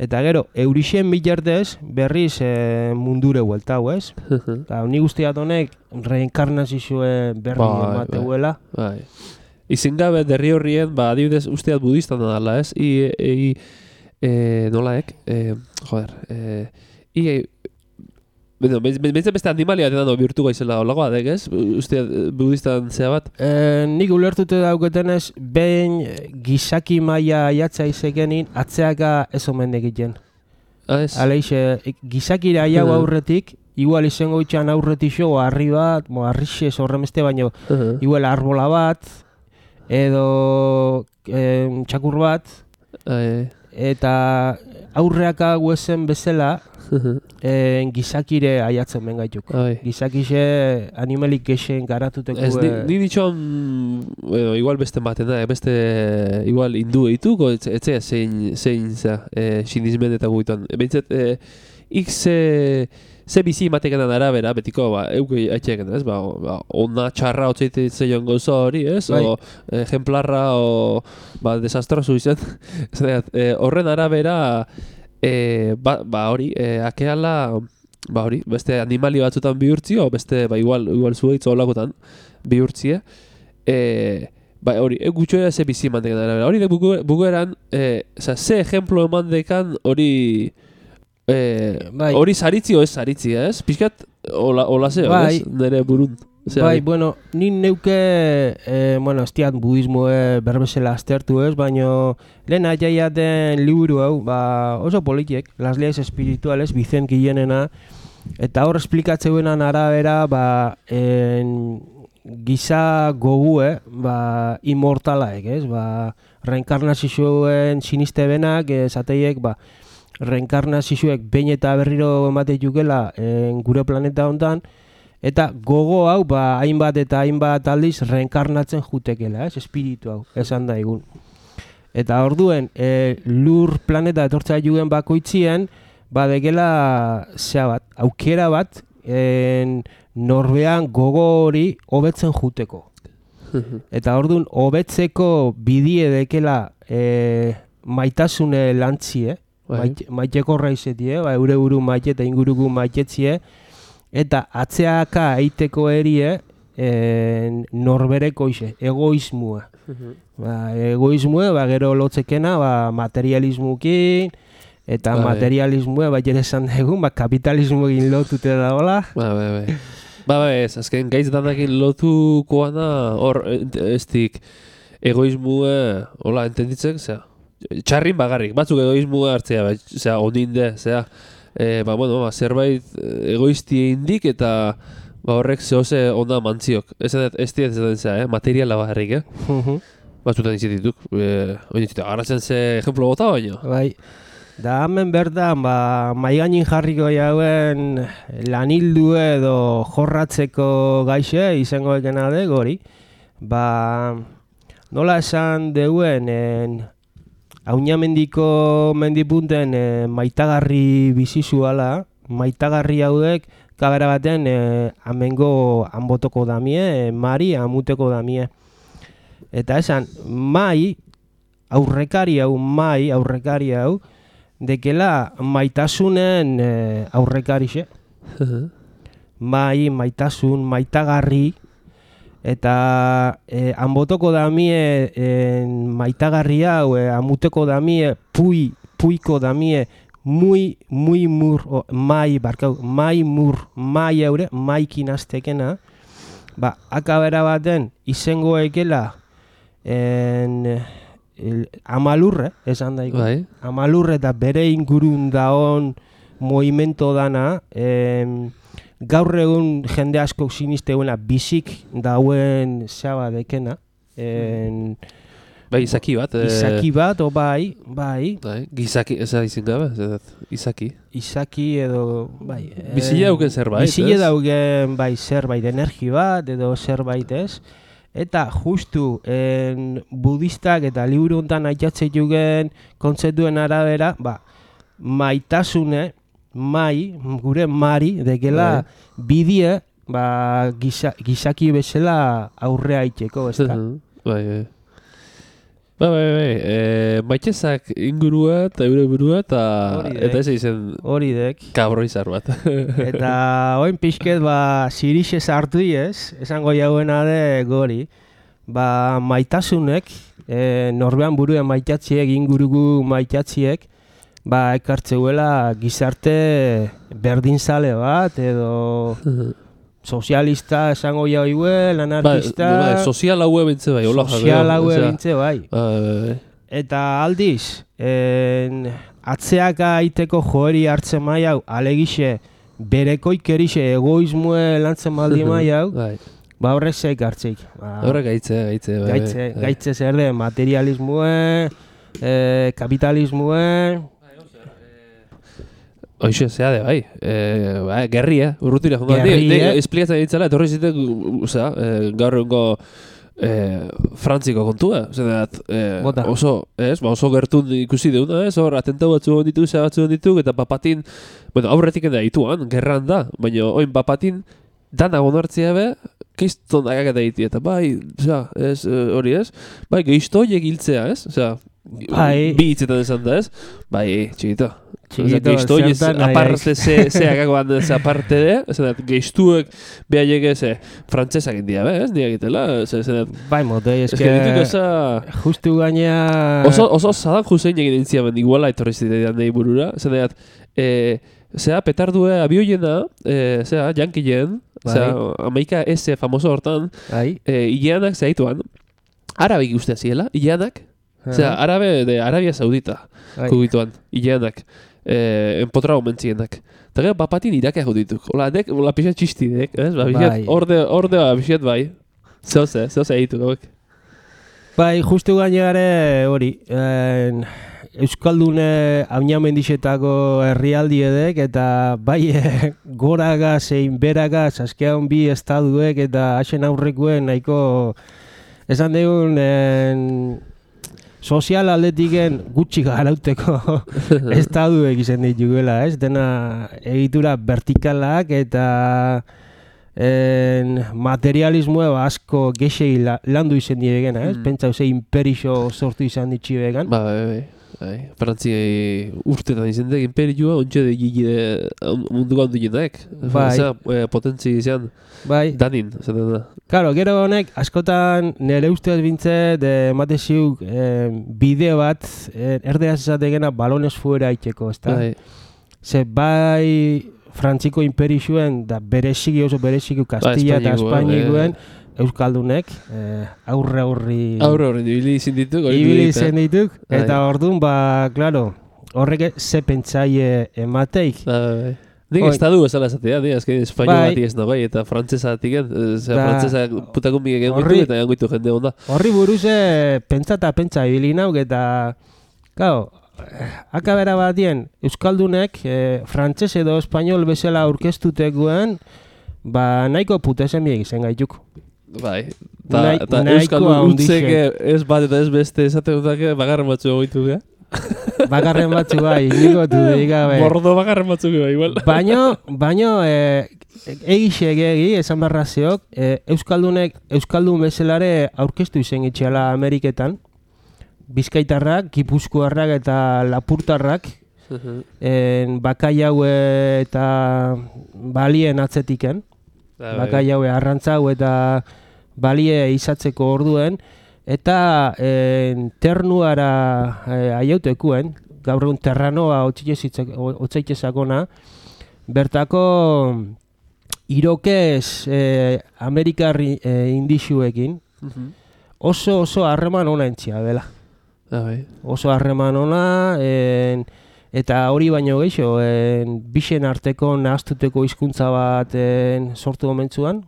Eta gero, eurixen bilartez berriz e, mundure hueltau, ez? Eta ni guztiat honek reenkarnazioe berri emateuela. Bai. Izin gabe derri horrien, ba, adibidez usteat budistan dala, ez? I, i, e, nolaek, e, joder, e, i, Bueno, behintzen beste animalia batean dago bihurtu gaizela olagoa dek, ez? Usteat budistan zea bat? E, nik ulertute dauketenez, behin gizaki maia aiatza izekenin, atzeaka ez omen egiten. Ah, ez? Aleixe, gizakira aiau aurretik, igual izango itxan aurretik jo, harri bat, mo, harrixez horremeste, baino, uh -huh. igual arbola bat, edo eh, txakur bat, Ai. eta aurreak hau ezen bezala, en, gizakire aiatzen bengaituk. Gizakixe animalik gexen garatuteko... Ez, ni, ni ditxoan, bueno, igual beste baten da, beste, igual hindu eituko, etzea zein, zein za, e, sinismen eta guituan. Behintzat, e, X e, ze bizi matekenan arabera, betiko, ba, euke haitxeaken, ez? Ba, ba, ona txarra otzeite zeion gauza hori, ez? Bai. O ejemplarra, o, ba, desastrosu izan. e, horren arabera, e, ba, ba hori, e, akeala, ba hori, beste animali batzutan bihurtzio, beste, ba, igual, igual zueitz olakotan bihurtzie. E, ba, hori, e, gutxoera ze bizi matekenan arabera. Hori, bugu, bugueran, e, za, ze ejemplo eman dekan hori... Eh, bai. Hori zaritzi o ez zaritzi, ez? Pixkat, hola, hola zeo, bai. Ez? Nere burun. Bai, bueno, nin neuke, eh, bueno, ez diat budismo eh, berbezela aztertu ez, baino lehen aiaiaten liburu hau, ba, oso politiek, Las Leyes Espirituales, Vicent Guillenena, eta hor esplikatzeuenan arabera, ba, en, giza gogue, ba, inmortalaek, ez? Ba, reenkarnazioen siniste benak, esateiek, ba, reenkarnazioek behin eta berriro emate jukela en, gure planeta hontan, eta gogo hau ba, hainbat eta hainbat aldiz reenkarnatzen jutekela, ez? Espiritu hau, esan da egun. Eta orduen, e, lur planeta etortzea juguen bakoitzien, ba degela zea bat, aukera bat, en, norbean gogo hori hobetzen juteko. Eta orduen, hobetzeko bidie dekela e, maitasune lantzie, Maite, maiteko raizetie, ba, eure buru maite eta ingurugu maitetzie, eta atzeaka eiteko erie en, norbereko ize, egoismua. Ba, egoismua, ba, gero lotzekena, ba, materialismukin, eta ba, materialismua, ba, jere esan dugu, ba, kapitalismuekin lotute da, hola? Ba, ba, ba. Ba, ba, ez, azken gaitz danakin lotukoa da, hor, ez dik, egoismua, hola, entenditzek, zera? Txarrin bagarrik, batzuk egoismua hartzea, zera, ondinde, zera, e, ba, bueno, ba, zerbait egoizti indik eta ba, horrek zehose onda mantziok. Ez ez ez ez zera, eh? Materiala bagarrik, eh? Uh-huh. Batzutan izitituk, e, oin izitituk, agarratzen ze ejemplo bota baino. Bai, da hemen bertan, ba, maiganin jarriko jauen lanildu edo jorratzeko gaixe izango ekena de, gori. Ba, nola esan deuen, en, Aunamendiko mendipunten e, maitagarri bizizuala, maitagarri haudek kabera baten e, amengo anbotoko damie, e, mari amuteko damie. Eta esan, mai, aurrekari hau, mai, aurrekari hau, dekela maitasunen e, aurrekarixe. Mai, maitasun, maitagarri, eta eh, anbotoko damie eh, maitagarri hau, eh, amuteko damie, pui, puiko damie, muy, muy mur, o, mai, barkau, mai mur, mai haure, maikin aztekena, ba, akabera baten izengo ekela en, el, amalurre, esan daiko, bai. Amalurre eta bere ingurun daon movimento dana, en, gaur egun jende askok sinisteuena bizik dauen zaba dekena. En, bai, izaki bat. Izaki bat, o bai, bai. Bai, gizaki, ez da izin gabe, izaki. Izaki edo, bai. Bizile dauken zerbait, ez? Bizile dauken, bai, zerbait, energi bat edo zerbait, ez? Eta justu en, budistak eta liburu hontan aitatze jugen kontzeptuen arabera, ba, maitasune, mai, gure mari, dekela bidie, ba, giza, gizaki bezala aurrea itxeko, ez da? Bai, bai. Bai, bai, bai. E, maitezak ingurua eta eure burua eta eta ez izen hori dek. Kabroizar bat. Eta oin pixket, ba, sirixe sartu ez, esango jauena de gori. Ba, maitasunek, e, norbean buruen maitatziek, ingurugu maitatziek, ba, ekartzeuela gizarte berdinzale bat, edo sozialista esango jaue, lanarkista... Ba, ba, sozial haue bintze bai, hola. Sozial haue bintze bai. Ba, ba, ba. Eta aldiz, en, atzeaka aiteko joeri hartzen mai hau, alegixe, berekoik erixe egoismue lantzen baldi mai hau, ba, horrek zeik hartzeik. Ba, horrek gaitze, gaitze. Bai, gaitze, bai. Gaitze zer de, materialismue, eh, kapitalismue... Hoxe, zea de, bai. E, ba, gerri, eh? Urrutira, jongo. Gerri, Ne, eh? ne, esplikatzen ditzala, etorri zitek, osea, e, gaur egungo e, frantziko kontua. Zerat, e, Bota. oso, ez, ba, oso gertun ikusi deuna, ez? Hor, atentau batzu hon ditu, zea batzu hon ditu, eta papatin, bueno, aurretik enda dituan, gerran da, baina oin papatin, dana gonartzea be, keiston agak eta iti, eta bai, osea, ez, e, hori ez, bai, gehisto horiek hiltzea, ez? Osea, Bai. bi hitzetan esan da, ez? Bai, txikito. Txikito, Gehisto horiek, zertan nahi aparte, ze, ze agakoan, ze aparte de, zerat, gehistuek behaiek ez, frantzesak india, be, ez? Nia egitela, ze, zerat, Bai, motoi, ez eske... que dituko eza... Justu gaina... Oso, oso Saddam Hussein egin intziamen, iguala etorri zitean nahi burura, zerat, e, zera, petardue abioiena, e, zera, jankileen, Bai. zera, Amaika S famoso hortan, Bai. e, hileanak zehaituan, arabek ustea ziela, hileanak, zera, arabe de Arabia Saudita, Bai. kubituan, hileanak, e, enpotra gomentzienak. Eta gero, papatin irakea judituk. Ola, dek, ola pixat txistidek, ez? Ba, pixat, Bai. orde, orde, ba, pixat bai. Zehoze, zehoze egitu gauek. Bai, justu gainare hori, en, Euskaldune Añamendixetako herrialdi edek, eta bai eh, goraga zein beraga zaskean bi estaduek eta hasen aurrekoen nahiko esan dugun en, sozial aldetiken gutxi garauteko estaduek izan dituela, ez? Dena egitura vertikalak eta en, materialismoa asko gexei la, landu izan diegena, ez? Mm. Pentsa ze imperixo sortu izan ditxibegan. Ba, bai, bai. Bai, Frantzia urtetan izan dek imperioa, ontsa de gile munduko handuenak. Bai. Osea, e, potentzi izan Bai, danin, zaten da. claro, gero honek askotan nire ustez bintzet emate ziuk eh, bide bat eh, erderaz esategena balones fuera itxeko, ezta? Bai. Ze bai Frantziko imperixuen da bereziki oso bereziki Kastilla eta Espainikoa, Espainikoen Euskaldunek eh, aurre aurri Aurre horren, ibili izin dituk. hori ibili dirita. zen dituk, Bai. eta orduan ba, claro, horrek ze pentsaie emateik. Bai, bai. Nik Oi. estadu bezala esatea, nik azken espainol Bai. bati ez nagoai, eta frantzesatik, zera Da, frantzesak putakun bigek egon horri- ditu, eta egon ditu jende onda. Horri buruze pentsa eta pentsa ibili nauk eta, claro, akabera batien Euskaldunek eh, frantzes edo espainol bezala aurkeztutekoen, ba nahiko putesen biek izan gaituk. Bai, eta Nahi- ta nahiko euskaldun handixe. utzeke ez bat eta ez beste esaten dutake bagarren batzu egoitu ga. Bakarren batzu bai, inigotu digabe. Mordo bagarren batzuk bai, igual. Baino, baino, e, egixe egi, esan barraziok, e, Euskaldunek, Euskaldun bezalare aurkeztu izen itxeala Ameriketan, Bizkaitarrak, Gipuzkoarrak eta Lapurtarrak, en, bakai haue eta balien atzetiken, bakai haue arrantzau eta balie izatzeko orduen, eta en, ternuara e, aiautekuen, gaur egun terranoa otzaitezakona, bertako irokez e, Amerikar e, indixuekin oso oso harreman ona entzia dela. Oso harreman ona, en, eta hori baino gehiago, en, bixen arteko nahaztuteko hizkuntza bat en, sortu gomentzuan,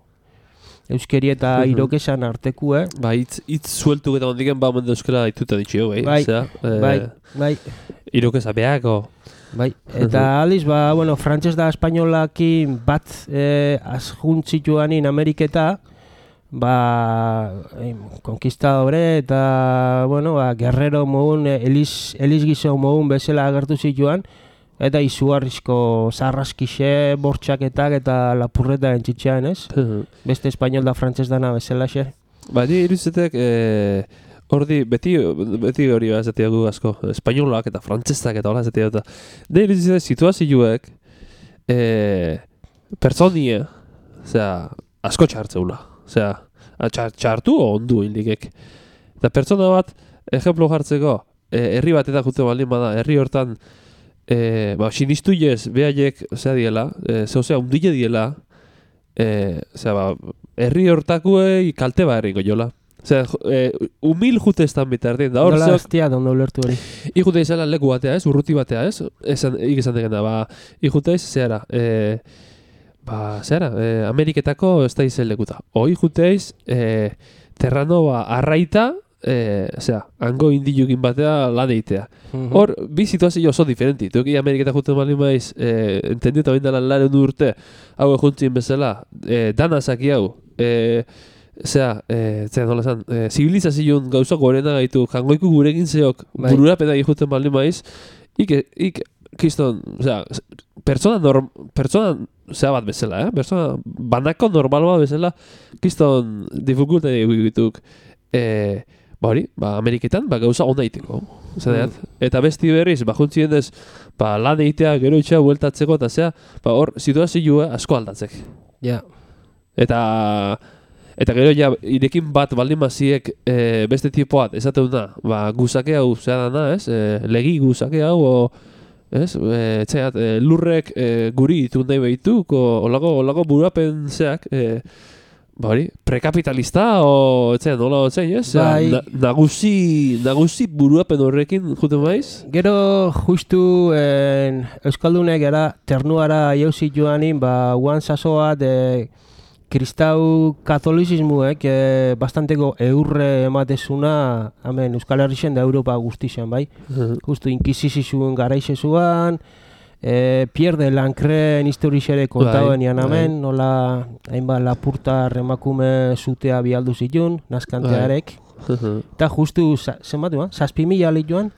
euskeri eta Mhm. irokesan artekue. Ba, hitz hitz sueltuk eta ondiken ba omen euskara dituta ditxio, bai. Bai, Osea, eh, bai, bai. Irokeza beako. Bai, eta aldiz, ba, bueno, frantses da espainolakin bat eh, azjuntzituanin Ameriketa, ba, eh, konkistadore eta, bueno, ba, guerrero mogun, eh, eliz, eliz gizo mogun bezala agertu zituan, eta izugarrizko zarraskixe, bortxaketak eta lapurreta entzitxean, ez? Beste espainol da frantses dana bezala xe. Ba, ni irudizetek, eh, ordi, beti, beti hori ba esatea gu asko, espainolak eta frantzesak eta hola esatea eta. Ne irudizetek situazioek, eh, pertsonia, osea, asko txartzeula. Osea, txar, txartu o ondu indikek. Eta pertsona bat, ejemplo jartzeko, eh, herri bat eta jute baldin bada, herri hortan, eh, ba, sinistu jez, behaiek, osea diela, eh, ze osea, undile diela, eh, osea, ba, herri hortakuei kalte ba herringo jola. Osea, eh, humil jute estan bitardien, da hor, Nola zeok, estia, dondo ulertu hori. ikute izela leku batea, ez, urruti batea, ez, esan, ik esan degena, ba, ikute iz, zehara, eh, ba, zehara, eh, Ameriketako ez da izen lekuta. Hoi jute iz, eh, terrano, ba, arraita, e, osea, hango indilukin batea lan eitea. Hor, bi situazio oso diferenti. Tuki Ameriketa juten bali maiz, e, entendieta bain dela laren urte, hau juntzien bezala, e, dana zaki hau, e, osea, e, zera nola zan, e, zibilizazioen gauza gorena gaitu, jangoiku gurekin zeok, bururapena juten bali maiz, ik, ik, kiston, osea, pertsona, norm, pertsona, zera bat bezala, eh? Pertsona, banako normal bat bezala, kiston, dificulta dituk, e, ba hori, ba, Ameriketan, ba, gauza ona iteko, zedeat. Eta besti berriz, ba, juntzien ez, ba, lan eitea, gero itxea, bueltatzeko, eta zea, ba, hor, situazioa asko aldatzek. Ja. Eta, eta gero ja, irekin bat baldin maziek e, beste tipoat, esaten da, ba, guzake hau, zera dana, ez, e, legi guzake hau, o, ez, e, txeat, e, lurrek e, guri itun nahi behituk, o, olako, olako burapen zeak, e, ba hori, prekapitalista, o, etzean, nola otzein, ez? Bai. Na, nagusi, nagusi buruapen horrekin juten maiz? Gero, justu, en, Euskaldunek era, ternuara jauzi joanin, ba, guan sasoa, de, kristau katolizismuek eh, bastanteko eurre ematezuna, hemen, Euskal Herrixen da Europa guztixan, bai? Uh-huh. Justu, inkizizizuen garaixe zuan, Eh, Pierre de Lancreen historixere kontauen ian hemen, nola hainbat lapurtar emakume zutea bialdu zitun, naskantearek. Eta justu, zenbat duan, zazpi mila ali joan,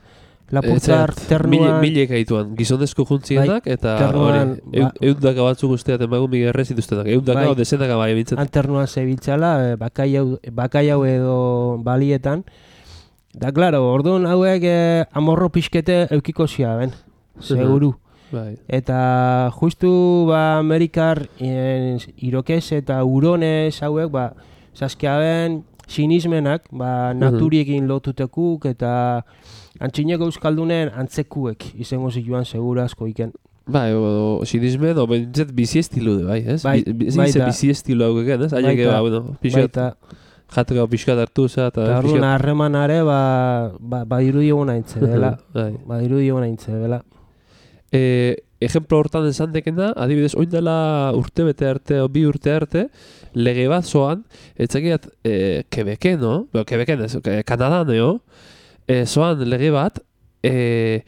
lapurtar ternuan... Milek haituan, gizonezko juntzienak, eta hori, eundaka batzuk usteat emagun migerre zituztenak, eundaka o dezenaka bai bintzen. Anternuan zebiltzala, bakaiau edo balietan. Da, klaro, orduan hauek amorro pixkete eukiko zia, ben, seguru. Bai. Eta justu ba, Amerikar en, irokez eta uronez hauek ba, zazkiaben sinismenak ba, naturiekin lotutekuk eta antxineko euskaldunen antzekuek izango zituan segura asko iken. Bai, o, sinismen, o bentzet bizi estilu de, bai, ez? Bai, baita. Bizi estilu hau egen, ez? Baita, ba, bueno, pixkat, jateko pixkat hartu za, eta... Eta arruna harremanare, ba, ba, ba irudi eguna intze, dela. Ba irudi eguna intze, dela. E, ejemplo hortan esan dekena, adibidez, oin dela urte bete arte, o bi urte arte, lege bat zoan, etzakiat, e, Quebeken, no? Bueno, Quebeken ez, Kanadan, no? E, zoan lege bat, e,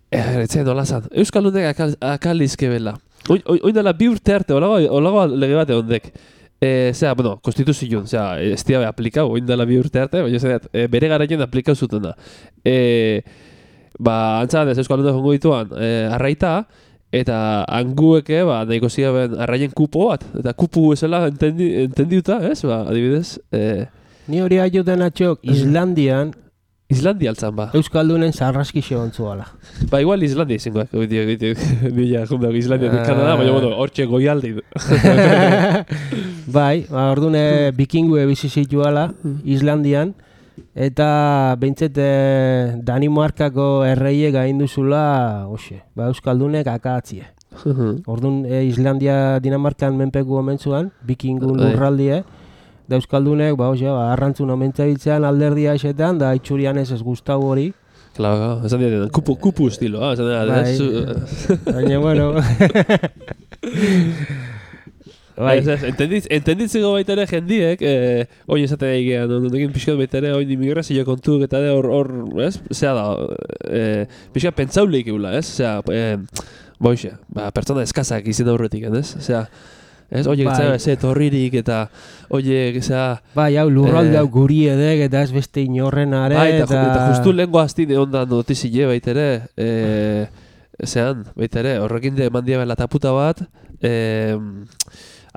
e, etzen nola zan, Euskaldunek akal, akalizke bela. Oin, oin dela bi urte arte, olago lege bat egondek. E, zera, bueno, konstituzioen, zera, ez diabe aplikau, oin dela bi urte arte, baina zerat, e, bere garaien aplikau zuten da. E, Ba, antzan ez Euskaldunek jongo dituan e, arraita, eta angueke, ba, nahiko ziaben arraien kupo bat, eta kupu esela entendi, entendiuta, ez, ba, adibidez. E, Ni hori aiuten atxok, Islandian, Islandia altzan, ba. Euskaldunen zarraskixo ontzuala. Ba, igual Islandia izangoak, oitik, oitik, nila, jundak, Islandia uh, Kanada, baina, bueno, hortxe goialdi. Bai, ba, orduan bikingue bizi zituala, Islandian, eta behintzet Danimarkako erreiek gainduzula, hoxe, ba, Euskaldunek akatzie. Orduan e, Islandia Dinamarkan menpeku omentzuan, bikingun lurraldie, da Euskaldunek, ba, hoxe, ba, arrantzun omentzabiltzean alderdia esetan, da itxurian ez ez guztau hori. Claro, esan dira, kupu, kupu estilo, ah, esan dira. Bai, baina, bueno... Bai. Entenditzeko baita ere jendiek, eh, oin esatea egean, ondekin pixkat baita ere, oin imigrazio kontuk eta hor, hor, ez? Zea da, eh, pixkat pentsauleik egula, ez? Zea, eh, boixe, ba, pertsona eskazak izin aurretik, ez? Zea, ez? Oiek, bai. Ez etorririk eta, oiek, zea... Bai, hau, lurralde hau eh, guri edek eta ez beste inorrenare, bai, eta... Bai, eta justu lehenko hastine ondan notizile baita ere, eh, zean, baita ere, horrekin de mandia bela taputa bat, eh,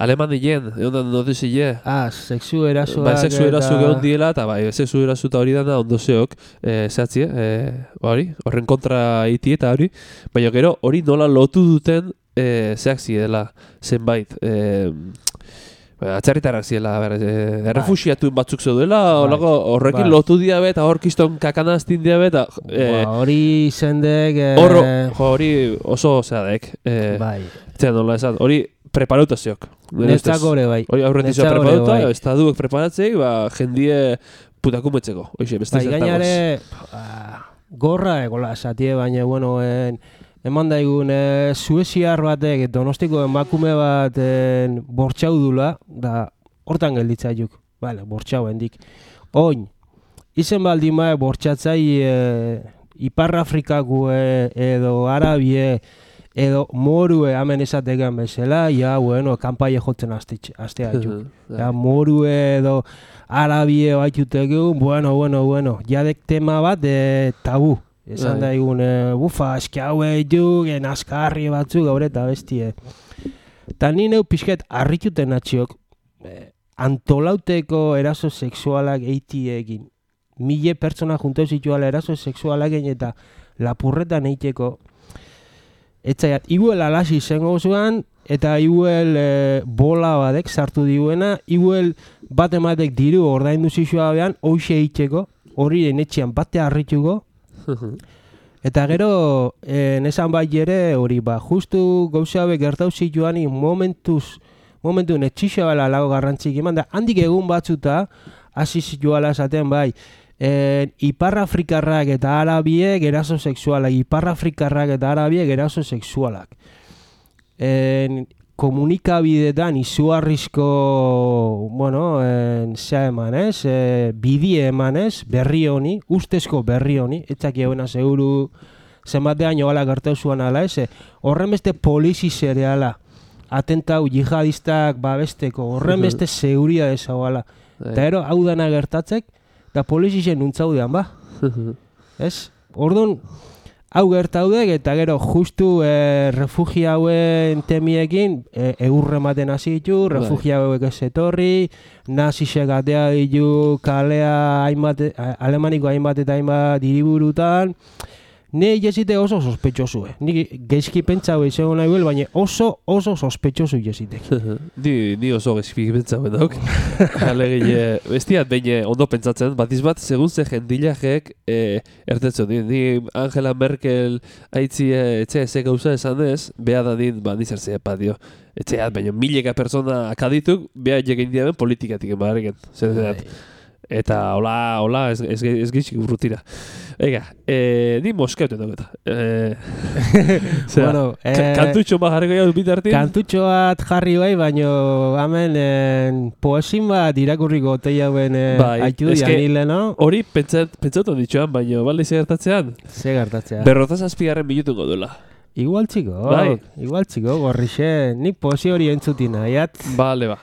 Aleman dien, egon da notizile. Ah, sexu erasoak. Bai, sexu erasoak egon diela, eta bai, sexu erasoak hori dana ondo zeok, e, zehatzi, e, hori, horren kontra iti eta hori, baina gero hori nola lotu duten e, zehatzi dela zenbait. E, Atzerritarrak ziela, e, errefusiatu batzuk zeuduela, horrekin bai. Lotu diabe eta hor kiston kakanaztin diabe, eta... E, hori zendek... E, Horro, hori oso zeadek. E, bai. Zean nola esan, hori... Preparutaziok. Netzak gore bai. Hori aurretizioa preparuta, bai. Estaduek preparatzei, ba, jendie putakumetzeko. Hoxe, beste bai, gainare, gorra egola esatie, baina, bueno, en, eman daigun, e, sueziar batek, Donostiko emakume bat en, bortxau dula, da, hortan gelditzaiuk. Bale, bortxau hendik. Oin, izen baldin mae bortxatzai e, Ipar Afrikako e, edo Arabie edo morue hemen esategan bezala, ja, bueno, kanpaie jotzen astea ditu. Ja, morue edo Arabie baitutegu, bueno, bueno, bueno, jadek tema bat e, tabu. Esan da egun, e, bufa, eski haue ditu, genazkarri batzuk, gaur eta bestie. Ta ni neu pixket harrituten atxiok, e, antolauteko eraso sexualak eitiekin. Mille pertsona junto zituala eraso sexualak eta lapurretan eiteko. Etzaiat, iguel alasi zengo zuan, eta iguel e, bola badek sartu diuena, iguel bat ematek diru ordaindu zizua behan, hoxe eiteko, hori enetxean bate harrituko. Eta gero, e, nesan bai ere, hori ba, justu gauza hauek gertau zituani momentuz, momentu netxixabela lago garrantzik eman, da handik egun batzuta, hasi zituala esaten bai, E, Ipar Afrikarrak eta Arabiek eraso sexualak, Ipar Afrikarrak eta Arabiek eraso sexualak. E, komunikabidetan izugarrizko, bueno, e, zea eman ez, e, bidie eman ez, berri honi, ustezko berri honi, etzak eguena seguru zenbatean joala gertau zuan ala ez, horren beste polizi zereala, atentau jihadistak babesteko, horren beste seguria dezagoala. Eta ero, hau dana gertatzek, da polizien nuntzaudean, ba. Ez? Orduan, hau gertaudek, eta gero justu e, refugia hauen temiekin e, egurre maten hasi ditu, refugia hauek ez etorri, nazisek atea ditu kalea hainbat, alemaniko hainbat eta hainbat hiriburutan. Ne jesite oso sospetxosu, eh? Ni geizki pentsau izango nahi bel, baina oso oso sospetxosu jesitek. ni, ni oso geizki pentsau dauk. Alegile, bestiat behin ondo pentsatzen, batiz bat, segun ze jendilajek e, ertetzo, ni, ni Angela Merkel haitzi etxe eze gauza esan ez, beha da din, ba, nizertzea padio. Etxeat, baina mileka persona akadituk, beha jekin diaben politikatik emagarriken. Zer eta hola, hola, ez, ez, ez gitzik urrutira. Ega, e, ni moskeuten dago eta. E, bueno, e, kantutxo bat jarriko jau bitartin? Kantutxo bat jarri bai, baino hemen en, poesin bat irakurriko otei hauen e, bai, haitu dianile, no? Hori pentsatu ditxoan, baino balde ze gertatzean? Ze gertatzean. Berrotaz azpigarren minutuko duela. Igual txiko, bai. Igual txiko, gorrixe, nik poesi hori entzutina, jat. Bale, ba.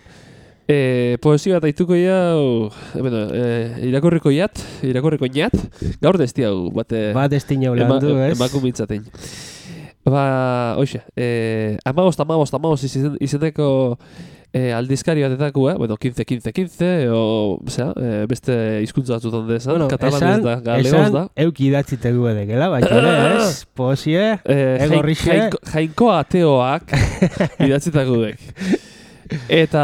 E, poesia bat aituko jau, bueno, e, irakurriko jat, irakurriko jat, gaur desti hau, bate... Bat desti jau landu, ez? Emakumitzaten. Ba, oixe, e, amagost, amagost, amagost izeneko e, aldizkari batetako, eh? Bueno, quince, quince, quince, o, osea, e, beste hizkuntza batzutan dezan, bueno, katalanez da, galeoz da. Esan, euki idatzitegu edekela, baina, ez? Poesie, e, egorrixe... Jainko ateoak idatzitako dek. Eta,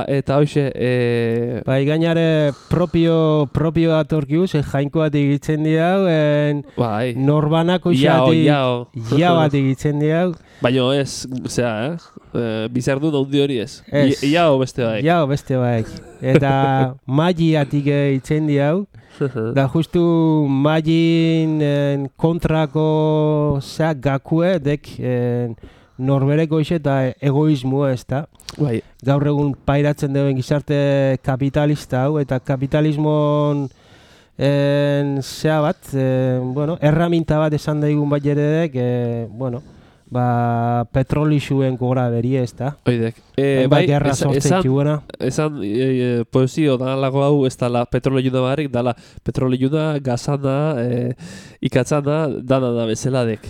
eta hoxe... E... Bai, gainare propio, propio atorkiuz, e, jainko bat egitzen diau, en bai. Norbanako isati... Iao, iao bat egitzen diau. Baina ez, zera, eh? E, bizardu naundi hori ez. Ez. I, iao beste baik. Iao beste baik. Eta magiatik egitzen diau. Da justu magin en, kontrako zea gakue, dek... En, norbereko ise eta egoismoa ez da. Bai. Gaur egun pairatzen duen gizarte kapitalista hau, eta kapitalismon en, zea bat, e, bueno, erraminta bat esan daigun bat jeredek, e, bueno, ba, petroli zuen gora berie ez da. Oidek. E, bai, esan, esan, esan e, e, poesio dalago hau ez dala petroli juna barik, dala petroli juna, gazana, e, ikatzana, dana da bezeladek.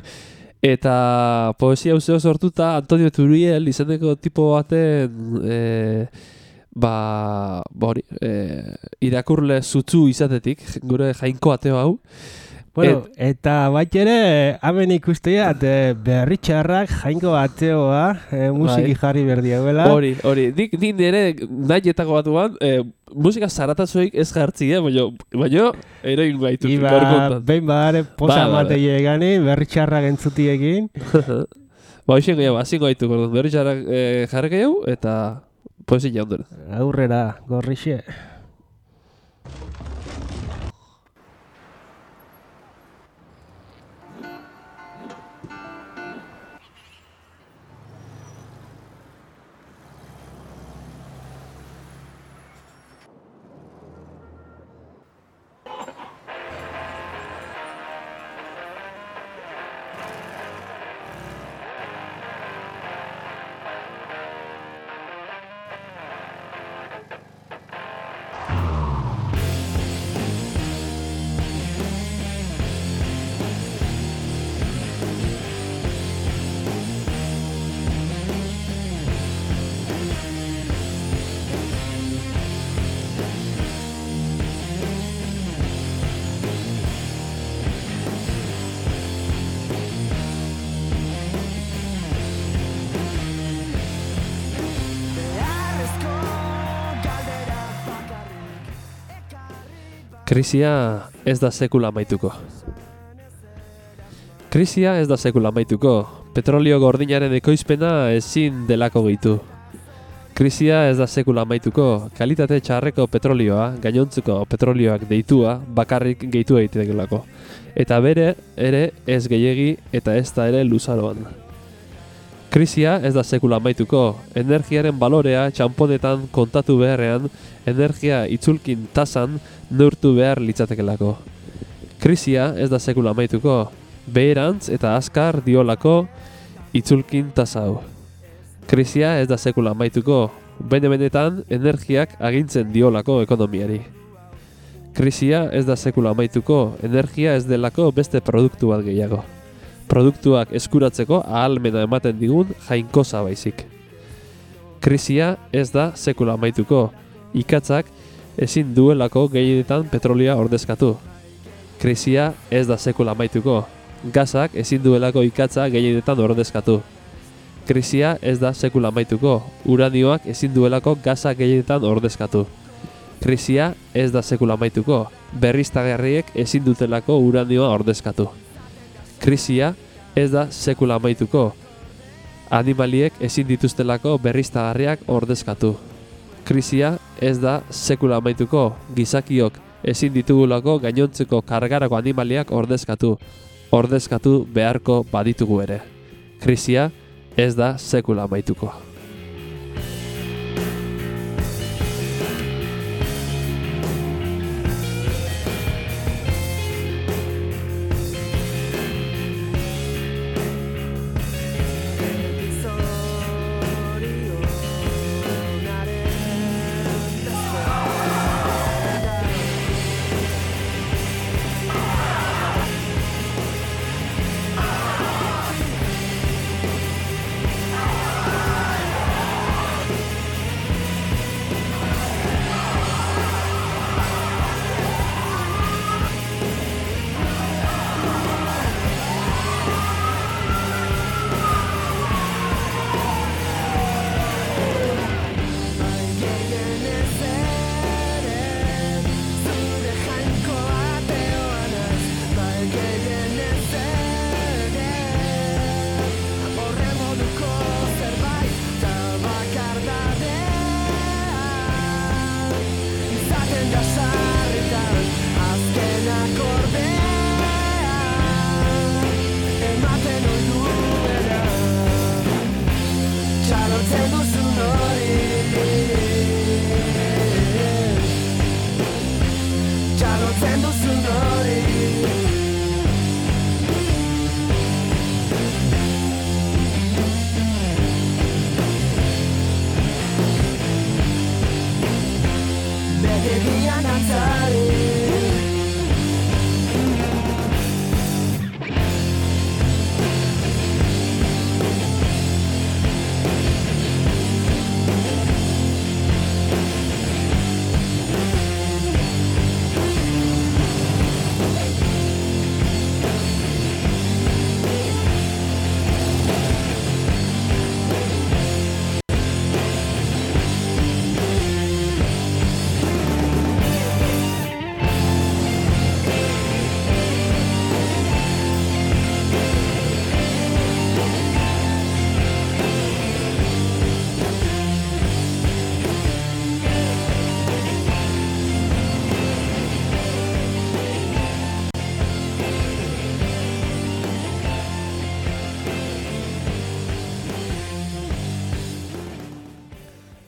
Eta poesia uzeo sortuta Antonio Turiel izeneko tipo baten e, ba, bori, e, irakurle zutzu izatetik, gure jainko ateo hau. Bueno, Et, eta bat ere, hemen ikusteat, e, berritxarrak jainko ateoa, e, musiki bai. Jarri berdiagoela. Hori, hori, nik nire nahietako batuan, e, musika zaratazuek ez jartzi, eh? baina, baina eroin gaitu. Iba, behin badare, posa ba, matei egani, berritxarrak entzutiekin. Ba, hoxen gehiago, hazingo gaitu, berritxarrak e, jarri gehiago, eta poesia jaundera. Aurrera, gorrixe. Krisia ez da sekula amaituko. Krisia ez da sekula amaituko. Petrolio gordinaren ekoizpena ezin delako gehitu. Krisia ez da sekula amaituko. Kalitate txarreko petrolioa, gainontzuko petrolioak deitua, bakarrik gehitu egitekelako. Eta bere ere ez gehiegi eta ez da ere luzaroan. Krisia ez da sekula amaituko. Energiaren balorea txamponetan kontatu beharrean, energia itzulkin tasan neurtu behar litzatekelako. Krisia ez da sekula amaituko. Beherantz eta azkar diolako itzulkin tasau. Krisia ez da sekula amaituko. Bene-benetan energiak agintzen diolako ekonomiari. Krisia ez da sekula amaituko. Energia ez delako beste produktu bat gehiago. Produktuak eskuratzeko ahalmena ematen digun jainkosa baizik. Krisia ez da sekula amaituko. Ikatzak ezin duelako gehienetan petrolioa ordezkatu. Krisia ez da sekula amaituko. Gazak ezin duelako ikatza gehienetan ordezkatu. Krisia ez da sekula amaituko. Uranioak ezin duelako gaza gehienetan ordezkatu. Krisia ez da sekula amaituko. Berriztagarriek ezin dutelako uranioa ordezkatu. Krisia ez da sekula amaituko. Animaliek ezin dituztelako berriztagarriak ordezkatu. Krisia ez da sekula amaituko. Gizakiok ezin ditugulako gainontzeko kargarako animaliak ordezkatu. Ordezkatu beharko baditugu ere. Krisia ez da sekula amaituko.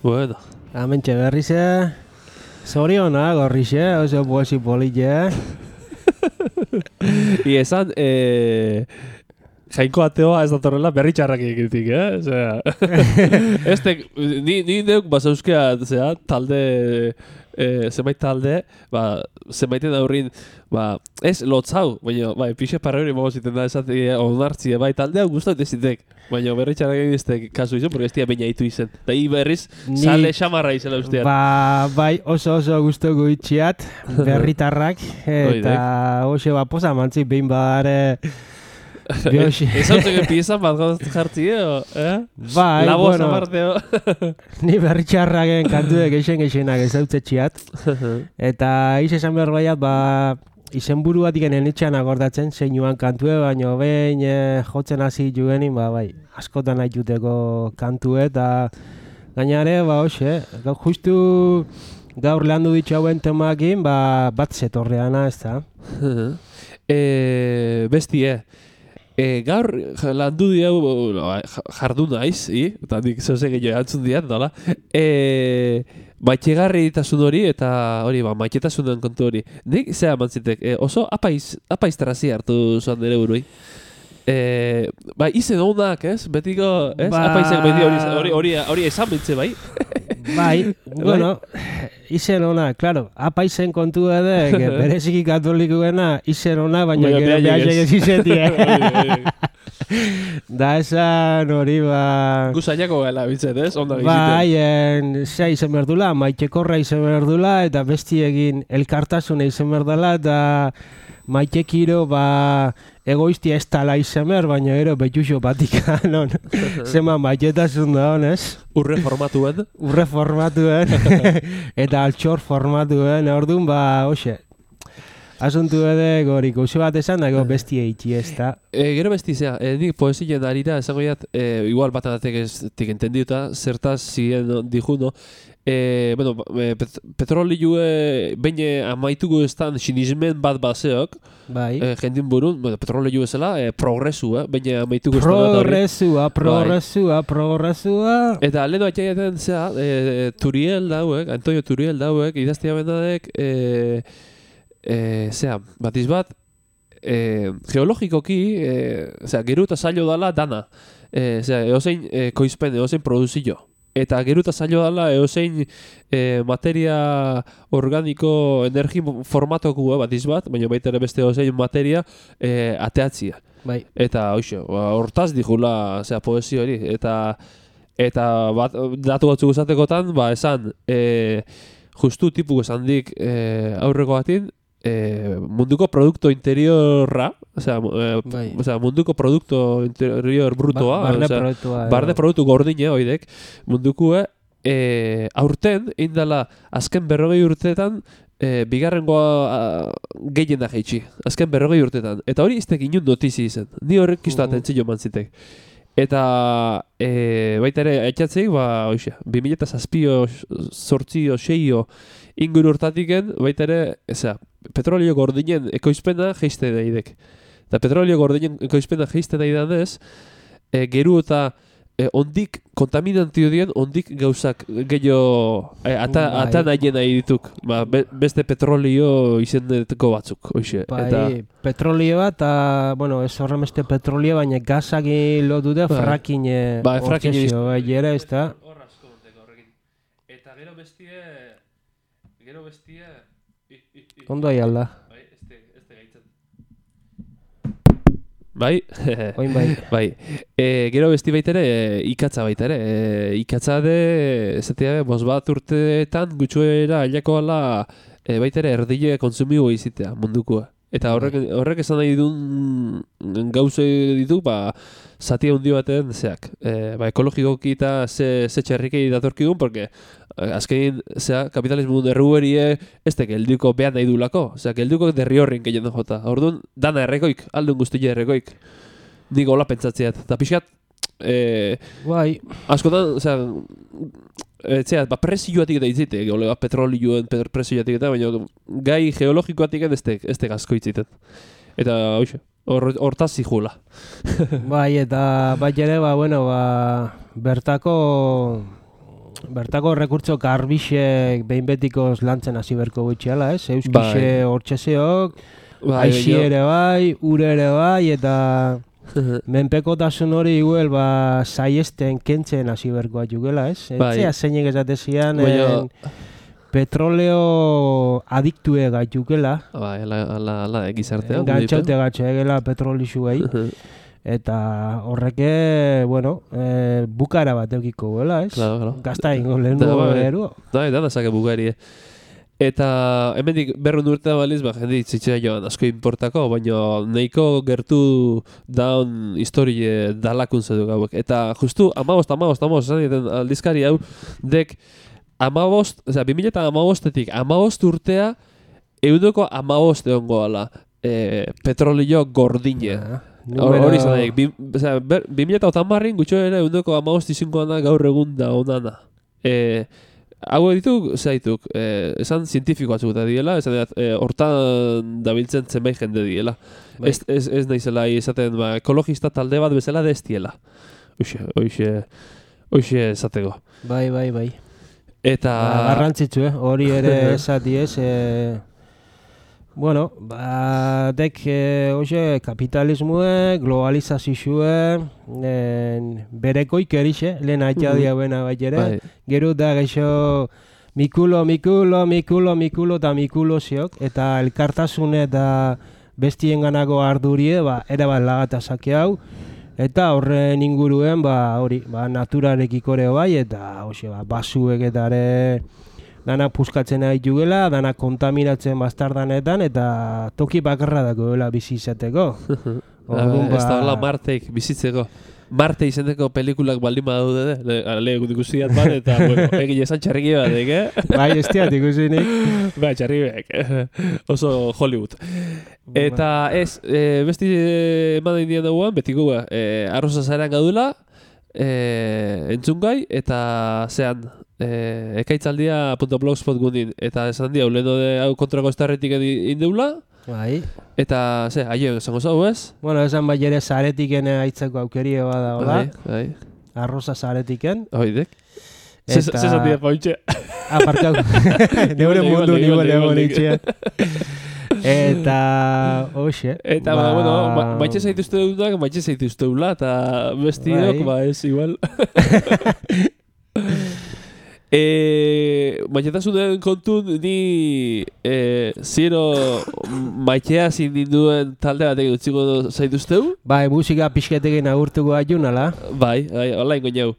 Bueno. Hementxe berrize. Zoriona, gorrixe, oso poesi politxe. I esan, eh, jainko ateoa ez datorrela berri txarrak egitik, eh? Osea, este, ni, ni neuk basauzkea, zera, talde, eh, zenbait talde, ba, zenbaiten aurrin, ba, ez lotzau, baina, bai, pixe parra hori mago ziten da, esatik, onartzie, bai, talde hau guztat ezitek, baina berri txarrak egiztek kasu izan, porque ez dia baina hitu izen. Da hi berriz, ni, sale xamarra izela ustean. Ba, bai, oso oso guztoko itxiat, berritarrak, eta oso ba, posa mantzik behin badare, Biosi. Ez hau txeken piezan bat gauz jartzi, eh? Bai, Laboz bueno, aparte, ni berritxarraken kantuek eixen eixenak ez hautzetxiat. Eta iz esan behar baiat, ba, izen buru bat iken enitxan akordatzen, zeinuan kantue, baina behin eh, jotzen hasi jugenin, ba, bai, askotan haituteko kantue, eta gainare, ba, hoxe, gau justu gaur lehandu ditxauen temakin, ba, bat zetorreana, ez da? e, bestie, e, gaur landu diau jardu naiz, i? Eta nik zoze gehiago antzun diat, dola? E, maitxegarri ditasun hori, eta hori, ba, maitxetasunen kontu hori. Nik, zera mantzitek, e, oso apaiz, apaiz trazi hartu zoan nire burui. E, ba, izen honak, ez? Betiko, ez? Ba... Apaizek beti hori, hori, hori, hori esan bintze, bai? Bai, bueno, izen ona, claro, apaizen kontu edek, bereziki katolikuena izen ona, baina gero behasek ez izetie. Da esan hori, ba... Guzainako gala bitzet, ez? Onda bai, en, zea izen berdula, maitekorra izen berdula, eta bestiekin elkartasuna izen berdala, eta maitekiro, ba, egoiztia ez tala izen behar, baina ero betxuxo batika, non? Zema maitetasun da honez. Urre formatuen. Urre formatuen, eta altxor formatuen, orduan, ba, hoxe, asuntu edek hori gauze bat esan, dago bestia itxi ez da. E, gero besti zea, e, nik poesien arira, esango jat, e, igual bat adatek ez tik entendiuta, zertaz ziren dijuno, e, bueno, pet, petrolioe baina amaituko estan sinismen bat baseok, bai. e, jendin burun, bueno, petrolio ezela, e, progresua, baina amaituko estan progresua, progresua, progresua. Eta leheno atxaiaten zea, e, Turiel dauek, Antonio Turiel dauek, idaztia bendadek, e, E, zera, batiz bat, e, geologikoki, e, zera, geru eta zailo dala dana. E, zera, eozein e, koizpen, eozein produzio. Eta geru eta zailo dala eozein e, materia organiko energi formatoku batiz bat, baina baita ere beste eozein materia e, ateatzia. Bai. Eta hoxo, hortaz dijula zera, poesio hori. Eta, eta bat, datu batzuk esatekotan, ba, esan, e, justu tipu esan dik e, aurreko batin, E, munduko produkto interiorra, osea, e, bai. osea, munduko produkto interior brutoa, ba, barne osea, produktua, barne produktu gordine oidek, mundukue, e, aurten, indala, azken berrogei urteetan, e, bigarrengoa gehien da jaitsi, azken berrogei urteetan. Eta hori iztek inun notizi izen, ni horrek kisto uh. atentzio mantzitek. Eta e, baita ere, aitzatzeik, ba, oixe, bi mila zazpio, sortzio, seio, inguru hortatiken, baita ere, eza, petrolio gordinen ekoizpena geiste daidek. Eta petrolio gordinen ekoizpena geiste daidanez, e, geru eta e, ondik kontaminantio dien, ondik gauzak gehiago e, ata, bai. ata nahien nahi dituk. Ba, be, beste petrolio izendeteko batzuk, hoxe. Bai, eta petrolioa eta, bueno, ez horren beste petrolio, baina gazaki lotu da bai. fracking Bai, fracking ortsesio, bai, jera ez da. Hor asko monteko horrekin. Eta gero bestie, gero bestie, i, i, i. Ondo ahi alda. Bai, este, este gaitzen. Bai, Oin bai. bai. E, gero besti baita ere, e, ikatza baita ere. E, ikatza de, ezatea, bos bat urteetan gutxuera ailako ala e, baita ere erdile konsumigo izitea mundukoa. Eta horrek, horrek esan nahi duen gauze ditu, ba, zati handi baten zeak. E, ba, ekologikoki eta ze, ze txerrikei datorkigun, porque azkenin, zea, kapitalismo derruberie ez da gelduko behan nahi dulako. Osea, gelduko derri horrin gehien jota. Orduan, dana errekoik, aldun guztia errekoik. Nik hola pentsatzeat. Eta pixkat, e, Bai. askotan, osea, etzea, ba, presioatik eta itzite, gole, ba, petrolioen presioatik eta, baina gai geologikoatik ez te gazko itziten. Eta, hoxe, hortaz zihula. Bai, eta bat ere, ba, bueno, ba, bertako, bertako rekurtso garbixek behin betikoz lantzen hasi berko gutxiala, ez? Euskixe bai. hortxeseok, Bai, aixi ere bai, ure ere bai, eta menpekotasun hori igual, ba, saiesten kentzen hasi berkoa jugela, ez? Bai. Etzea zeinek esatezian, Baina- petroleo adiktue gaitukela, Bai, ala, ala, ala, gizartea. gantxaute gatxegela petrolixuei. Eta horreke, bueno, e, bukara bat eukiko gela, ez? Claro, claro. Gazta ingo lehen Da, dugu bai. eruo. Da, da, da, zake bugari, eh. Eta hemendik berrehun urte baliz, ba, jende itzitzea joan asko importako, baina nahiko gertu daun historie dalakun zedu gauek. Eta justu amabost, amabost, amabost, esan dieten aldizkari hau, dek amabost, oza, bi mila amabostetik amabost urtea, eundoko amabost egon goala, e, petrolio gordine. Hori izan daik, bi mila otamarrin gutxo ere eundoko amabost izinkoan da gaur egun da onana. E, Hau ditu, zaituk, eh, esan zientifiko batzuk eta diela, esan dut, eh, hortan dabiltzen zenbait jende diela. Bai. Ez, ez, ez nahizela esaten, ba, ekologista talde bat bezala destiela. Uxe, oixe, oixe esateko. Bai, bai, bai. Eta... Ba, garrantzitsu, eh? Hori ere esati ez, eh... Bueno, ba, dek, eh, oixe, kapitalismue, globalizazizue, eh, berekoik erixe, lehen aitea Mhm. diabuena bai ere. Bai. Gero da gaixo mikulo, mikulo, mikulo, mikulo eta mikulo ziok, eta elkartasune eta bestien ganako ardurie, ba, ere bat lagata sake hau, eta horren inguruen, ba, hori, ba, naturarekikore bai, eta, hoxe, ba, basuek eta ere dana puskatzen ari jugela, dana kontaminatzen bastardanetan, eta toki bakarra dako dela bizi izateko. Orduan, Ez da hola Marteik bizitzeko. Marte izendeko pelikulak baldin badaude, lehen ikusiat bat, eta bueno, egin esan txarriki batek, eh? Bai, ez diat ikusinik. Ba, txarribek, oso Hollywood. Eta ez, e, besti eman indian dagoan, betiko ba, e, arroza zaeran gaudela, e, entzungai, eta zean, e, ekaitzaldia.blogspot gundin, eta esan dia, uleno de hau kontrako estarretik indeula, Bai. eta, ze, aio, esango zau, ez? Bueno, esan bai ere zaretiken aitzeko aukerie bada, hola? Bai, bai. Arroza zaretiken. Oidek. Zezan dira pauntxe. Ah, parkau. Neure mundu nigo lego nitxea. Eta, hoxe. Eta, ba, bueno, ma, maitxe zaituzte dunak, maitxe zaituzte dula, eta bestiok, ba, ez, igual. E, maitxetasunen kontun ni e, zero maitea zindinduen talde batek utziko zaituzteu? Bai, musika pixketekin agurtuko aiunala. Bai, bai, hola ingo jau.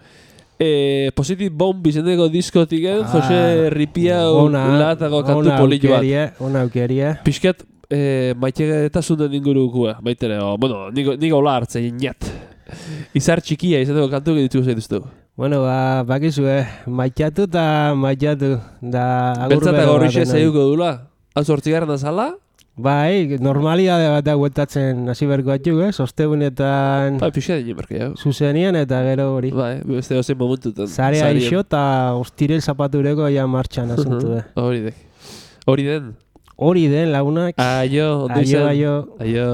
E, Positive Bomb izendeko diskotiken, ah, Jose Ripiau latako kantu polillo bat. Ona aukeria. Pixket e, maitxetasunen ingurukua, baitere, o, bueno, nigo, nigo hola hartzen inat. Izar txikia izendeko kantu dituko zaituzteu. Bueno, ba, bakizu, eh, maitxatu eta maitxatu. Da, Beltza eta gorrixe zeiuko dula. Hau zortzigarren azala? Bai, normalidade bat aguetatzen hasi berko atxuk, eh, sostegunetan... Bai, pixka dine berke, jau. Zuzenien eta gero hori. Bai, beste dozein momentutan. Zarea iso eta ostirel zapatureko ja martxan asuntu, eh. Hori den. Hori den. Hori den, lagunak. Aio, ondo izan. Aio, aio. Aio.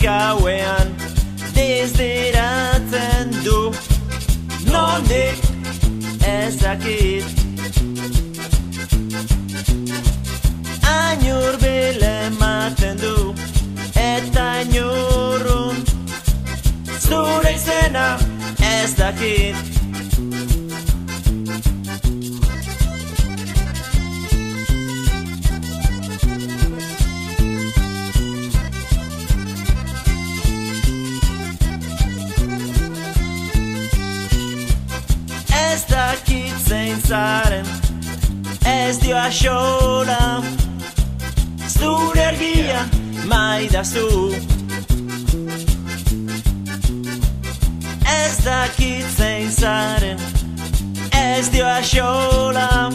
Gauean desderatzen du, nondik ezakit. Ainur bile ematen du, eta ainurrun zure izena ez dakit. Ez dakit zein zaren, ez dio axola, zure argia maidazu. Ez dakit zein zaren, ez dio axola,